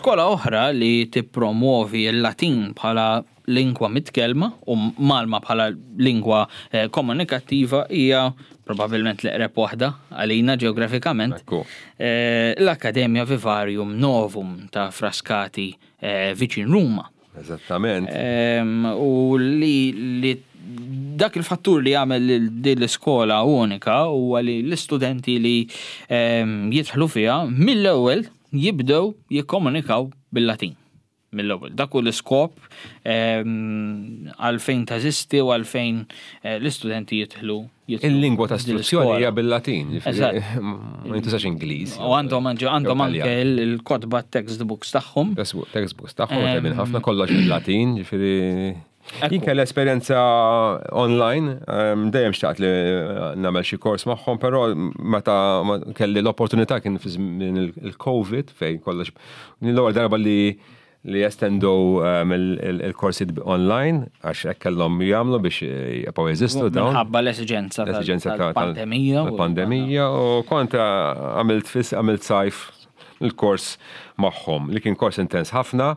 Skola oħra li tippromwovi l-Latin bħala lingwa mitkellma u mgħallma bħala lingwa komunikattiva hija probabbilment l-eqreb waħda għalina ġeografikament, l-Accademia Vivarium Novum ta' Frascati viċin Ruma. Eżattament. U li dak il-fattur li jagħmel lil din l-iskola unika huwa li l-istudenti li jidħlu fiha mill-ewwel jibdew jikkomunikaw bil-Latin. Mill-ewwel. Dak hu l-iskop għalfejn teżisti u għalfejn l-istudenti jidħlu. Il-lingwa ta' istruzzjoni hija bil-Latin, ma jintużax Ingliż. U għandhom għandhom anke l-kotba textbooks tagħhom. Textbooks tagħhom tajbin ħafna kollox bil-Latin, ġifieri. Jien kelli esperjenza online, dejjem xtaqt li nagħmel xi kors magħhom, però meta kelli l-opportunità kien fi żmien il-Covid fejn kollox l-ewwel darba li li jestendu il-korsijiet online għax hekk kellhom jagħmlu biex jibqgħu jeżistu dawn. Minħabba l-esiġenza tal-pandemija. Tal-pandemija u kont għamilt fis għamilt sajf il-kors magħhom li kien kors intens ħafna.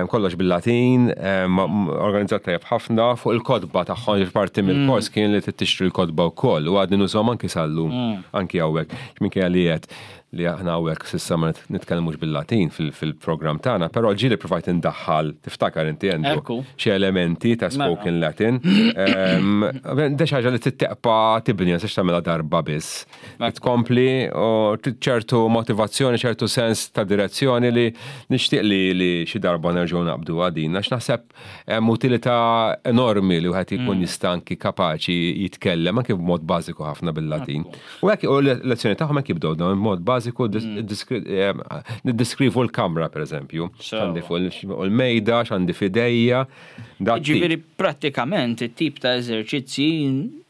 Kollox bil-Latin, organizzat tajjeb ħafna fuq il-kotba tagħhom parti mill-kors kien li tixtri l-kotba wkoll u għadni nużhom anki sal-lum, anki hawnhekk. Minkejja li qed li aħna hawnhekk s'issa ma nitkellmux bil-Latin fil-programm tagħna, però ġieli provajt indaħħal, tiftakar inti Andrew, xi elementi ta' mela. spoken Latin. Da xi ħaġa li titteqpa tibni, ma tistax tagħmilha darba biss. Tkompli u ċertu motivazzjoni, ċertu sens ta' direzzjoni li nixtieq li xi darba nerġgħu naqbdu għadin, għax naħseb Hemm utilità enormi li wieħed jkun mm. jista' anki kapaċi jitkellem anki b'mod bażiku ħafna bil-Latin. U hekk u l-lezzjoni tagħhom hekk jibdew dawn b'mod bażiku mm. eh, niddeskrivu l-kamra pereżempju. X'għandi fuq il-mejda, x'għandi f'idejja. Ġifieri prattikament it-tip ta' eżerċizzji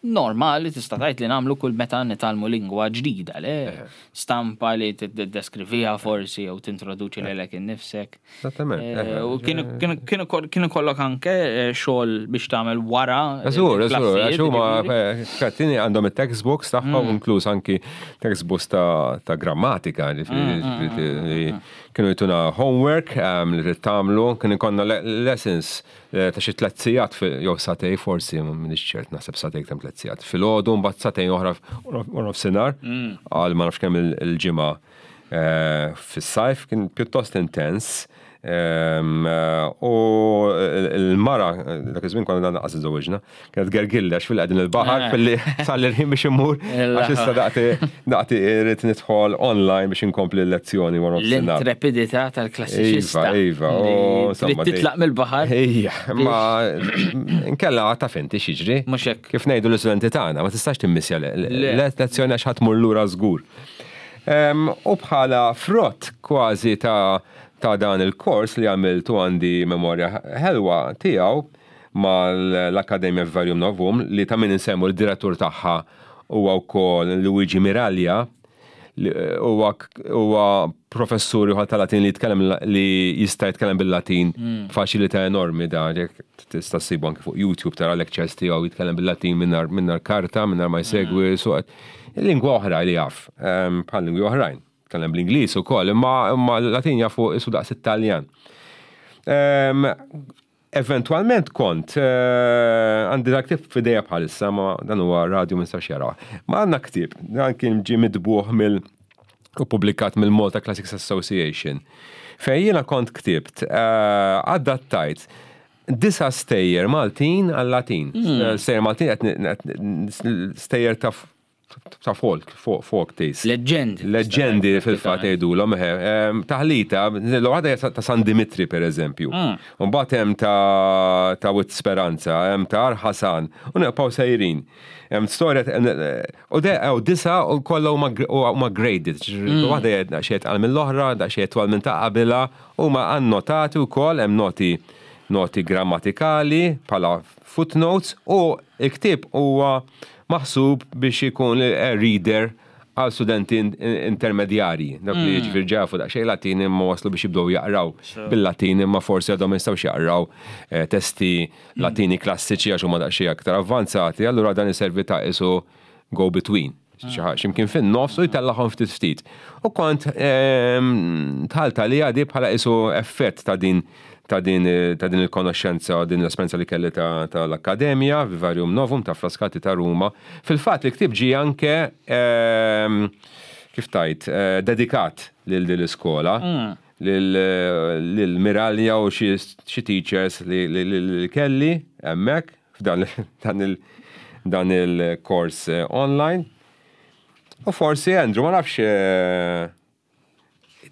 normali tista' tgħid li nagħmlu kull meta nitgħallmu lingwa ġdida, le? Eh. Stampa li tiddeskriviha forsi jew tintroduċi lilek innifsek. Esattament. Eh, u kienu kollok anke eh, xogħol biex tagħmel wara. Eżur, eżur, għax huma eh, kattini għandhom it-textbooks tagħhom mm. inkluż anki textbooks ta' grammatika, mm, mm, kienu jtuna homework ehm, li trid tagħmlu, kien ikollna lessons ta' xi tliet sigħat jew satej forsi m'iniex ċert naħseb satej kemm tliet sigħat. Filgħodu mbagħad satej oħra nofsinhar għal ma nafx kemm il-ġimgħa eh, fis-sajf kien pjuttost intens. Ehm, u l-mara, dak iż-żmien konna naqas iżżewġna, kienet gergilli għax fil-qegħdin il-baħar eh. fil-li sal ħin biex immur għax issa daqti daqti irrid nidħol online biex inkompli l-lezzjoni wara L-intrepidità tal-klassiċista. Iva, iva. Trid titlaq mill-baħar. Ejja, ma nkella taf inti x'jiġri. Mhux hekk. Kif ngħidu l-istudenti tagħna, ma tistax timmissja l-lezzjoni għax ħadd mur lura żgur. U bħala frott kważi ta' ta' dan il-kors li għamilt u għandi memorja ħelwa tiegħu mal-Akkademja Vivarium Novum li ta' min insemmu li d-direttur tagħha huwa wkoll Luigi Miraglia li huwa huwa professur ieħor ta' Latin li jitkellem li jista' jitkellem bil-Latin b'faċilità enormi da jekk tista' ssibu anke fuq YouTube tara lectures tiegħu jitkellem bil-Latin mingħajr karta mingħajr ma jsegwi suq Lingwa oħra li jaf, ehm, bħal lingwi oħrajn. Tkellem bl-Ingliż ukoll, imma imma l-Latin jafu isu daqs it-Taljan. Ehm, eventualment kont eh, għandi dak ktieb f'idejja bħalissa, ma dan huwa radio ma nistax jaraw. Ma għandna ktieb, dan kien ġie mitbuħ mill u publikat mill-Malta Classics Association. Fejn jiena kont ktibt, eh, adattajt Disa' stejjer Maltin għal-Latin. Stejjer Maltin qed stejjer ta' ta' folk, folk tales. Leġġendi. Leġġendi fil-fatt jgħidulhom, eħe. Taħlita, l-waħda hija ta' San Dimitri pereżempju. Mbagħad hemm ta' ta' Wied Speranza, hemm ta' Għar Ħasan, u nibqgħu sejrin. Hemm storja u de hawn disa' u kollha huma graded. Waħda hija daqsxejn itqal mill-oħra, daqsxejn itwal minn ta' qabilha, huma annotati wkoll, hemm noti noti grammatikali bħala footnotes u l-ktieb huwa maħsub biex ikun reader għal studenti intermedjarji, dawk li jiġifieri ġa jafu daqsxejn Latin imma waslu biex jibdew jaqraw bil-Latin imma forsi għadhom ma jistgħux jaqraw testi Latini klassiċi għax huma daqsxejn aktar avvanzati, allura dan iservi ta' qisu go between. Ximkien fin-nofs u jtellagħhom ftit ftit. U kont dħalt għaliha di bħala qisu effett ta' din ta' din ta' din il-konoxxenza u din l-esperjenza li kelli tal-Akkademja, Vivarium Novum ta' Frascati ta' Ruma. Fil-fatt il-ktieb ġie anke kif tgħid, dedikat lil din l-iskola, lil Miralja u xi teachers li kelli hemmhekk f'dan dan il-kors online. U forsi Andrew, ma nafx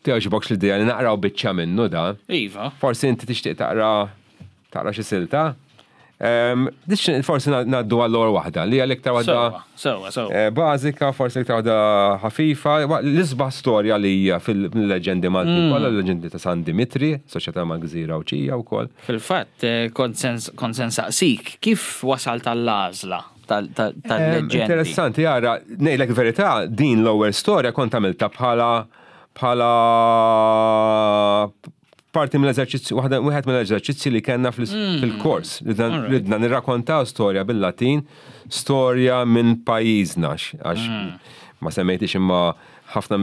togħġbokx l-idea li naqraw biċċa minnu da. Iva. Forsi inti tixtieq taqra taqra xi silta. Forsi ngħaddu għall-ewwel waħda li hija l-iktar waħda. Sewwa, sewwa. Eh, bażika, forsi l-iktar waħda ħafifa, l-isbaħ storja li hija fil-leġendi Maltin kollha, l-leġendi ta' San Dimitri, soċjetà mal-Gżira Għawdxija wkoll. Fil-fatt, eh, kont se nsaqsik, kif wasalt għall-għażla tal-leġendi? Interessanti, ara, ngħidlek verità, din l-ewwel storja kont għamiltha bħala bħala parti mill-eżerċizzju, wieħed mill-eżerċizzji li kellna fil-kors, ridna nirrakkontaw storja bil-Latin, storja minn pajjiżna, għax ma semmejtix imma ħafna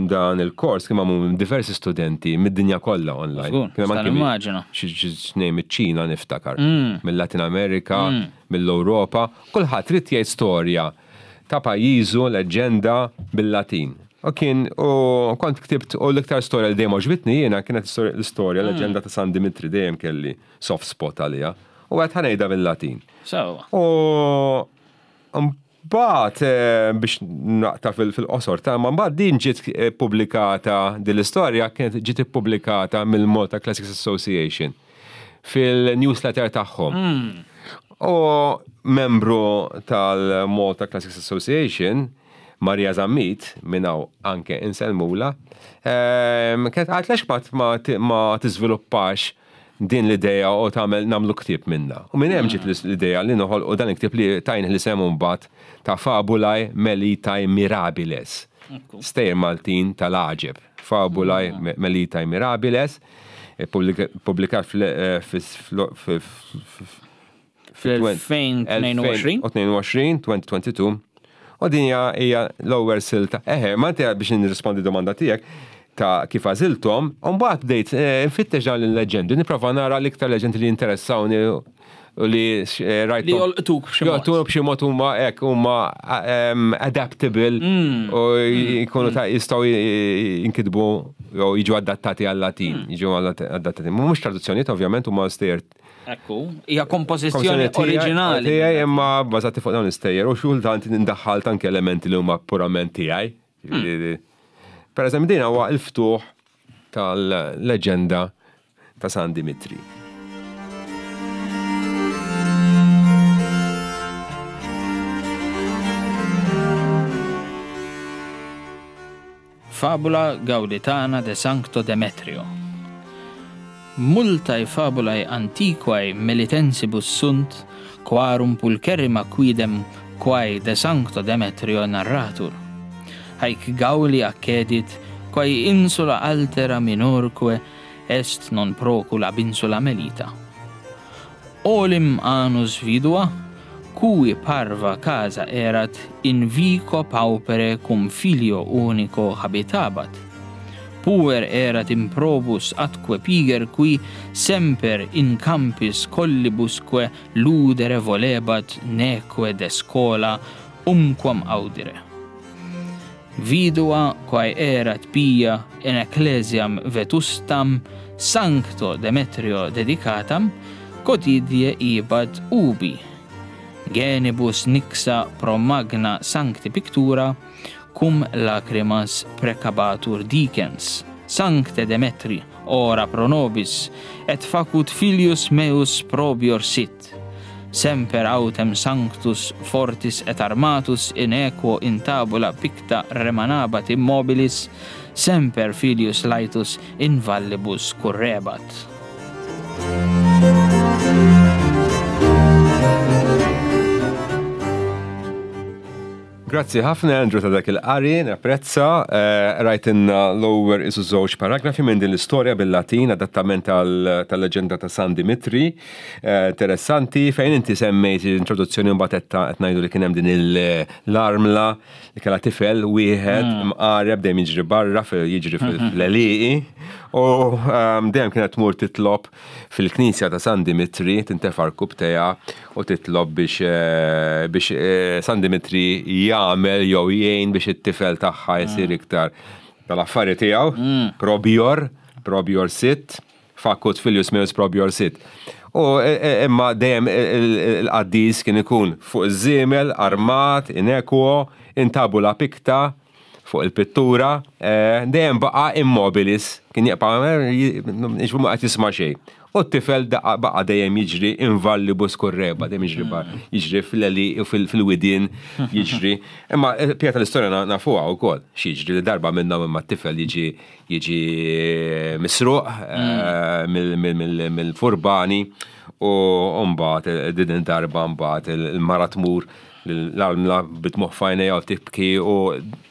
dan il-kors kien magħmul minn diversi studenti mid-dinja kollha online. Kien hemm anke xi tnejn miċ-Ċina niftakar, mill-Latin Amerika, mill-Ewropa, kulħadd ried jgħid storja ta' pajjiżu, leġġenda bil-Latin. U kien, u kont ktibt, u l-iktar storja li dejjem għoġbitni jiena kienet l-istorja, leġġenda ta' San Dimitri dejjem kelli soft spot għaliha. U għedt ħa ngħidha bil-Latin. Sewwa. U mbagħad biex naqta' fil-qosor ta' ma mbagħad din ġiet ippubblikata, din l-istorja kienet ġiet ippubblikata mill-Malta Classics Association fil-newsletter tagħhom. U membru tal-Malta Classics Association, Maria Zammit, minn hawn anke insellmulha, kienet qalet għaliex ma tiżviluppax din l-idea u tagħmel nagħmlu ktieb minnha. U minn hemm ġiet l-idea li noħolqu dan il-ktieb li tajnih l-isem imbagħad ta' Fabulae Melitae Mirabiles. Stejjer Maltin tal-għaġeb. Fabulae Melitae Mirabiles, ippubblikat fl-2022. 2022. U din hija l-ewwel silta. Eħe, ma inti biex nirrispondi domanda tiegħek ta' kif għażilthom, u mbagħad bdejt nfittex dawn il-leġendi, nipprova nara l-iktar leġendi li jinteressawni u li rajthom. Li jolqtuk b'xi mod. Jolqtuk b'xi mod huma hekk huma adaptable u jkunu ta' jistgħu jinkitbu jew jiġu adattati għal-Latin, jiġu adattati. Mhux traduzzjonijiet ovvjament huma stejjer Ekku, hija kompożizzjoni oriġinali. Tiegħi imma bbażati fuq dawn l-istejjer u xi kultant indaħħalt anke elementi li huma purament tiegħi. Per eżempju din huwa l-ftuħ tal-leġenda ta' San Dimitri. Fabula Gauditana de Sancto Demetrio. Multae fabulae antiquae melitensibus sunt, quarum pulcherrima quidem quae de Sancto Demetrio narratur. Haec Gauli accedit, quae insula altera minorque est non procul ab insula Melita. Olim anus vidua, cui parva casa erat in vico paupere cum filio unico habitabat. Puer erat improbus atque piger qui semper in campis collibusque ludere volebat neque de scola umquam audire. Vidua quae erat pia in ecclesiam vetustam Sancto Demetrio dedicatam, quotidie ibat ubi. Genibus nixa pro magna sancti pictura, cum lacrimas precabatur dicens. Sancte Demetri, ora pro nobis, et facut filius meus probior sit. Semper autem sanctus fortis et armatus in equo in tabula picta remanabat immobilis, semper filius laetus in vallibus currebat. Grazzi ħafna Andrew ta' dak il-qari, napprezza. Eh, rajtinna l-ewwel isu żewġ paragrafi minn din l-istorja bil-Latin, adattament tal-leġenda ta' San Dimitri. Eh, interessanti, fejn inti semmejt l-introduzzjoni mbagħad qed ngħidu li kien hemm din l-armla li kellha tifel wieħed mm. mqareb dejjem jiġri barra jiġri mm-hmm. fl-għelieqi u ehm, dejjem kienet tmur titlob fil-knisja ta' San Dimitri tintefa' rkubtejha u titlob biex eh, biex eh, San Dimitri jagħmel jew jgħin biex it-tifel tagħha jsir mm. iktar tal-affari tiegħu, mm. probior, probior sit. Facut filius meus probior sit. U e, e, imma dejjem il-qaddis kien ikun fuq iż-żiemel, armat, in equo, in tabula picta, fuq il-pittura, e, dejjem baqa' immobilis, kien jibqa' jiġifieri ma qed jisma' xejn. U t-tifel baqa' dejjem jiġri in vallibus curreba, dejjem jiġri bar, jiġri fl-għelieqi u fil-widien jiġri. Imma l-bqija tal-istorja nafuha wkoll, x'jiġri li darba minnhom imma t-tifel jiġi jiġi misruq eh, mill-furbani u mbagħad eh, din darba mbagħad il-mara tmur l-armla bitmuħ fajnejha u tibki u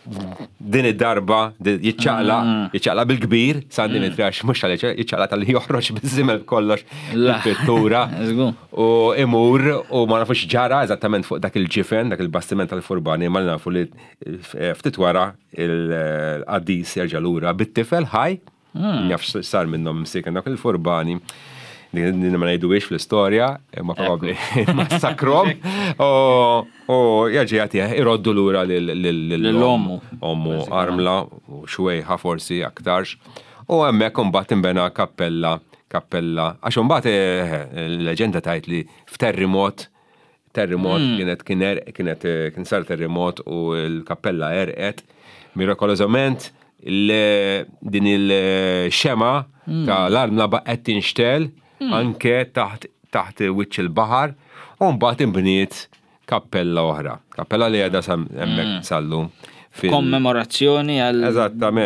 din id-darba jiċċaqla, mm. jiċċaqla bil-kbir, San mm. Dimitri għax mhux tal jiċċaqla tal joħroġ biż-żimel kollox il-pittura u imur u ma nafux ġara eżattament fuq dak il-ġifen, dak il-bastiment tal-furbani, ma nafu li eh, ftit wara il-qaddis jerġa' lura bit-tifel ħaj, hmm. naf sar minnhom msiken dak il-furbani din ma ngħiduhiex fl-istorja, imma probabbli massakrom. U jerġa' jagħtih iroddu lura lil-ommu. Ommu armla u xwejħa forsi aktarx. U hemmhekk imbagħad tinbena kappella, kappella. Għax imbagħad eh, eh, l-leġenda tgħid li f'terrimot Terremot hmm. kienet kienet eh, kien sar terremot u l-kappella erqet. Mirakolosament din il-xema hmm. ta' l-armla baqgħet tinxtel hmm. anke taħt taħt wiċċ il-baħar u mbagħad inbniet kappella oħra. Kappella li għedha hemmhekk sallum. Kommemorazzjoni għal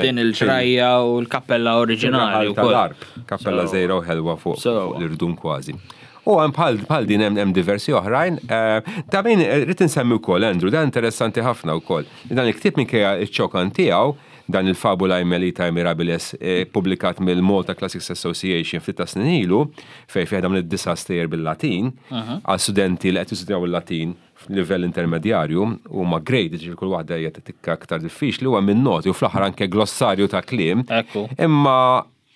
din il-ġrajja u l-kappella oriġinali. Tal-arb, kappella żejra u ħelwa fuq l-irdum kważi. U hemm bħal bħal din hemm diversi oħrajn. Eh, ta' min eh, rrid insemmi wkoll Andrew, dan interessanti ħafna wkoll. Dan il-ktieb minkejja ċ-ċokan tiegħu, dan il-Fabulae Melitae Mirabilis eh, publikat mill-Malta Classics Association ftit ta' snin ilu, fejn fih dawn id-disa' stejjer bil-Latin, għal studenti li qed jistudjaw il-Latin f'livell intermedjarju, huma graded, ġifieri kull waħda hija tikka aktar diffiċli, huwa minn noti u fl-aħħar anke glossarju ta' kliem. Imma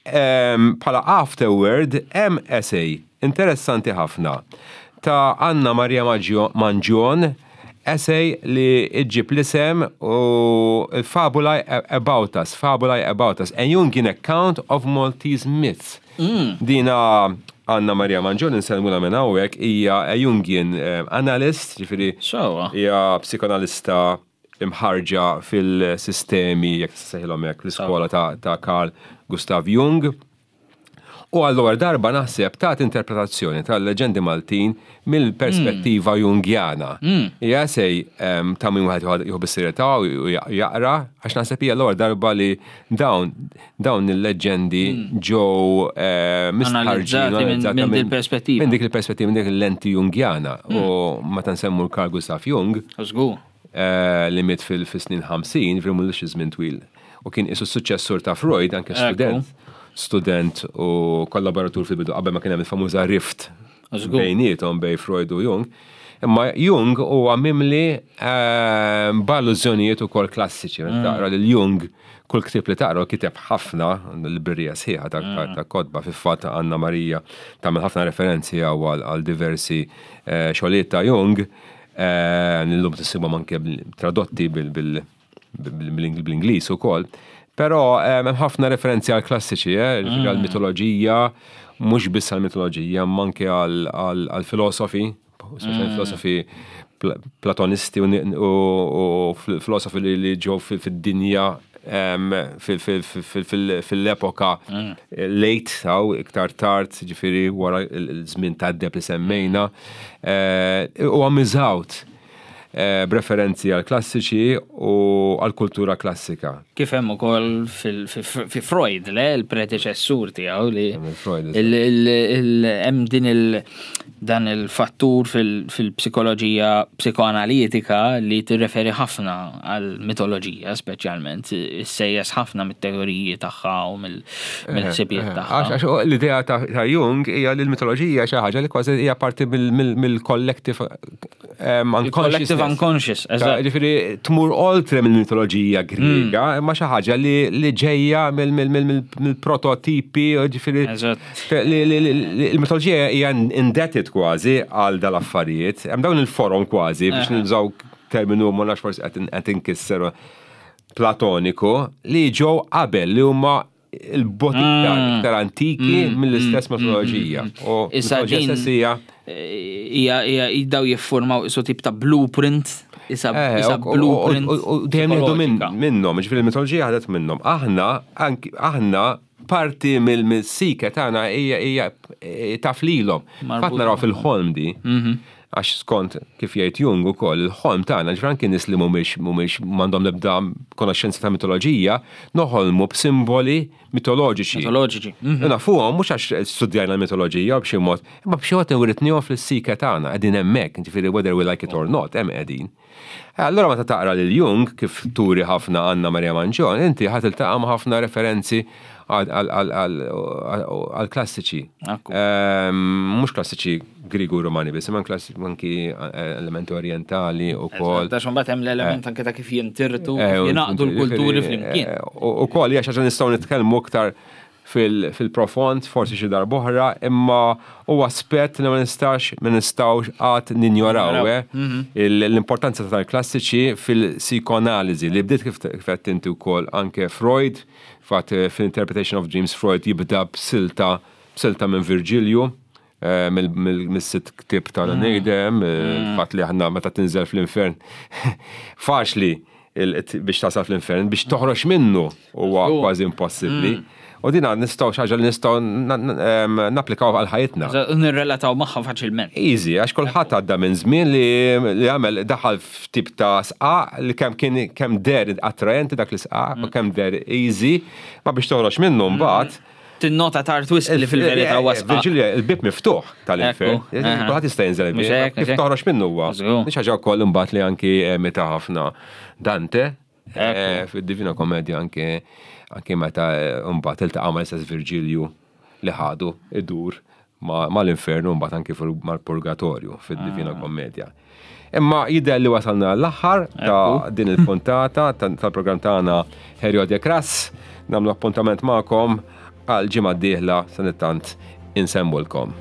Bħala afterword hemm essay interessanti ħafna ta' Anna Maria Mangion, essay li ġġib l-isem u Fabulae About Us, Fabulae About Us, A Jungian Account of Maltese Myths. Dina Anna Maria Mangion insellmulha minn hawnhekk hija a Jungian analyst, ġifieri hija psikoanalista imħarrġa fil-sistemi, jekk tista' ssejħilhom hekk, l-iskola ta' Carl Gustav Jung. U għall-ewwel darba naħseb tat interpretazzjoni tal-leġendi Maltin mill-perspettiva mm. Jungjana. Mm. Hija sej ta' min wieħed jieħu bis-serjetà u jaqra għax naħseb hija l-ewwel darba li dawn dawn il-leġendi mm. ġew eh, mistħarġin minn dik il-perspettiva. Minn dik il-perspettiva, minn dik il-lenti Jungjana. U meta nsemmu l-Carl Gustav Jung. Eh, li miet fil-snin 50, ġifieri mhux żmien twil. U kien isu suċċessur ta' Freud, anke student, student u kollaboratur fil-bidu qabel ma kien hemm il-famuża rift bejniethom bej Freud u Jung. Imma Jung huwa mimli eh, b'allużjonijiet ukoll klassiċi. Mm. Taqra lil Jung kull ktieb li taqra kiteb ħafna l-librerija sħiħa ta' mm. kotba fil-fatt Anna Marija tagħmel ħafna referenzi għal diversi eh, xogħlijiet ta' Jung. Illum tissibhom anke tradotti bil-Ingliż ukoll. Però hemm ħafna referenzi għal klassiċi, eh, mm. għal mitoloġija, mhux biss għal mitoloġija, ma anke għal filosofi, speċjalment mm. filosofi platonisti u filosofi li ġew fid-dinja fil-epoka mm. late, saw, iktar tard, ġifiri wara l-żmien ta' deb li semmejna, eh, u għammiżawt eh, b'referenzi għal klassiċi u għal kultura klassika. Kif hemm ukoll fi Freud, le, il-predeċessur tiegħu li hemm din il dan il-fattur fil-psikoloġija psikoanalitika li tirreferi ħafna għal mitoloġija speċjalment, issejjes ħafna mit-teoriji tagħha u mill-ħsibijiet tagħha. Għax l-idea ta' Jung hija li l-mitoloġija xi ħaġa li kważi hija parti mill-collective unconscious. unconscious, eżatt. Ġifieri tmur oltre mill-mitoloġija Griega, imma xi ħaġa li ġejja mill-prototipi, ġifieri Il-mitoloġija hija indebted kważi għal dal-affarijiet. Hemm dawn il-forom kważi biex nużaw terminu ma nafx forsi qed inkisser platoniku li ġew qabel li huma il-bot iktar mm. iktar antiki mm. mill-istess mm. mitoloġija. U issa din hija hija daw jiffurmaw isu tip ta' blueprint isa eh, blueprint. U dejjem jieħdu minnhom, ġifieri l-mitoloġija ħadet minnhom. Aħna aħna parti mill-sike tagħna hija hija eh, taf lilhom. Fatt naraw fil-ħolm di. Mhm. Għax skont kif jgħid Jung ukoll, il-ħolm tagħna ġifier anki nies li mhumiex mhumiex m'għandhom l-ebda konoxxenza ta' mitoloġija, noħolmu b'simboli mitoloġiċi. Mitoloġiċi. Mhm. Nafuhom mhux għax studjajna l-mitoloġija b'xi mod, imma b'xi mod iwritnihom fis-sike tagħna, qegħdin hemmhekk, ġifieri whether we like it or not, hemm qegħdin. Allura meta taqra lil Jung, kif turi ħafna Anna Maria Mangion, inti ħa tiltaqa' ma' ħafna referenzi għall-klassiċi. Mhux klassiċi Griegu u Rumani biss, imma anki elementi orjentali wkoll. Għax imbagħad hemm l-element anke ta' kif jintirtu, kif jingħaqdu l-kulturi flimkien. Ukoll hija xi ħaġa nistgħu nitkellmu iktar fil-profond, forsi xi darb'oħra, imma huwa aspett li ma nistax ma nistgħux qatt ninjoraw, eh? Mhm. L-importanza tal-klassiċi fil-psikoanaliżi li bdiet kif qed inti wkoll anke Freud, fatt eh, fil-Interpretation of Dreams Freud jibda b'silta b'silta minn Virgilju, eh, mill-sitt ktieb tal-Nejdem, mm. eh, mm. fatt li aħna meta tinżel fl-infern faċli biex tasal fl-infern, biex toħroġ minnu huwa kważi impossibbli. Mm. U dina nistgħu xi ħaġa li nistgħu napplikaw għal ħajjitna. Nirrelataw magħha faċilment. Easy, għax kulħadd għadda minn żmien li għamel daħal f'tip ta' sqaq li kemm kien kemm der attraenti dak l-isqaq u kemm der easy, ma biex toħroġ minnu mbagħad. Tinnota tard wisq li fil-verità huwa sqaq. Virgilia, il-bib miftuħ tal-infern. Kulħadd jista' jinżel il-bib. Kif toħroġ minnu huwa. Mhix ħaġa wkoll imbagħad li anki meta ħafna Dante eh, fid-Divina Komedja anke anke meta eh, mbagħad iltaqa' mal-istess Virgilju li ħadu idur mal-infernu mbagħad anke mal-purgatorju fid-Divina ah. Kommedja. Imma jidher li wasalna l-aħħar ta' din il-puntata tal-programm tagħna Herjodja Kras. Nagħmlu appuntament magħkom għal ġimgħa d-dieħla sanittant insemmulkom.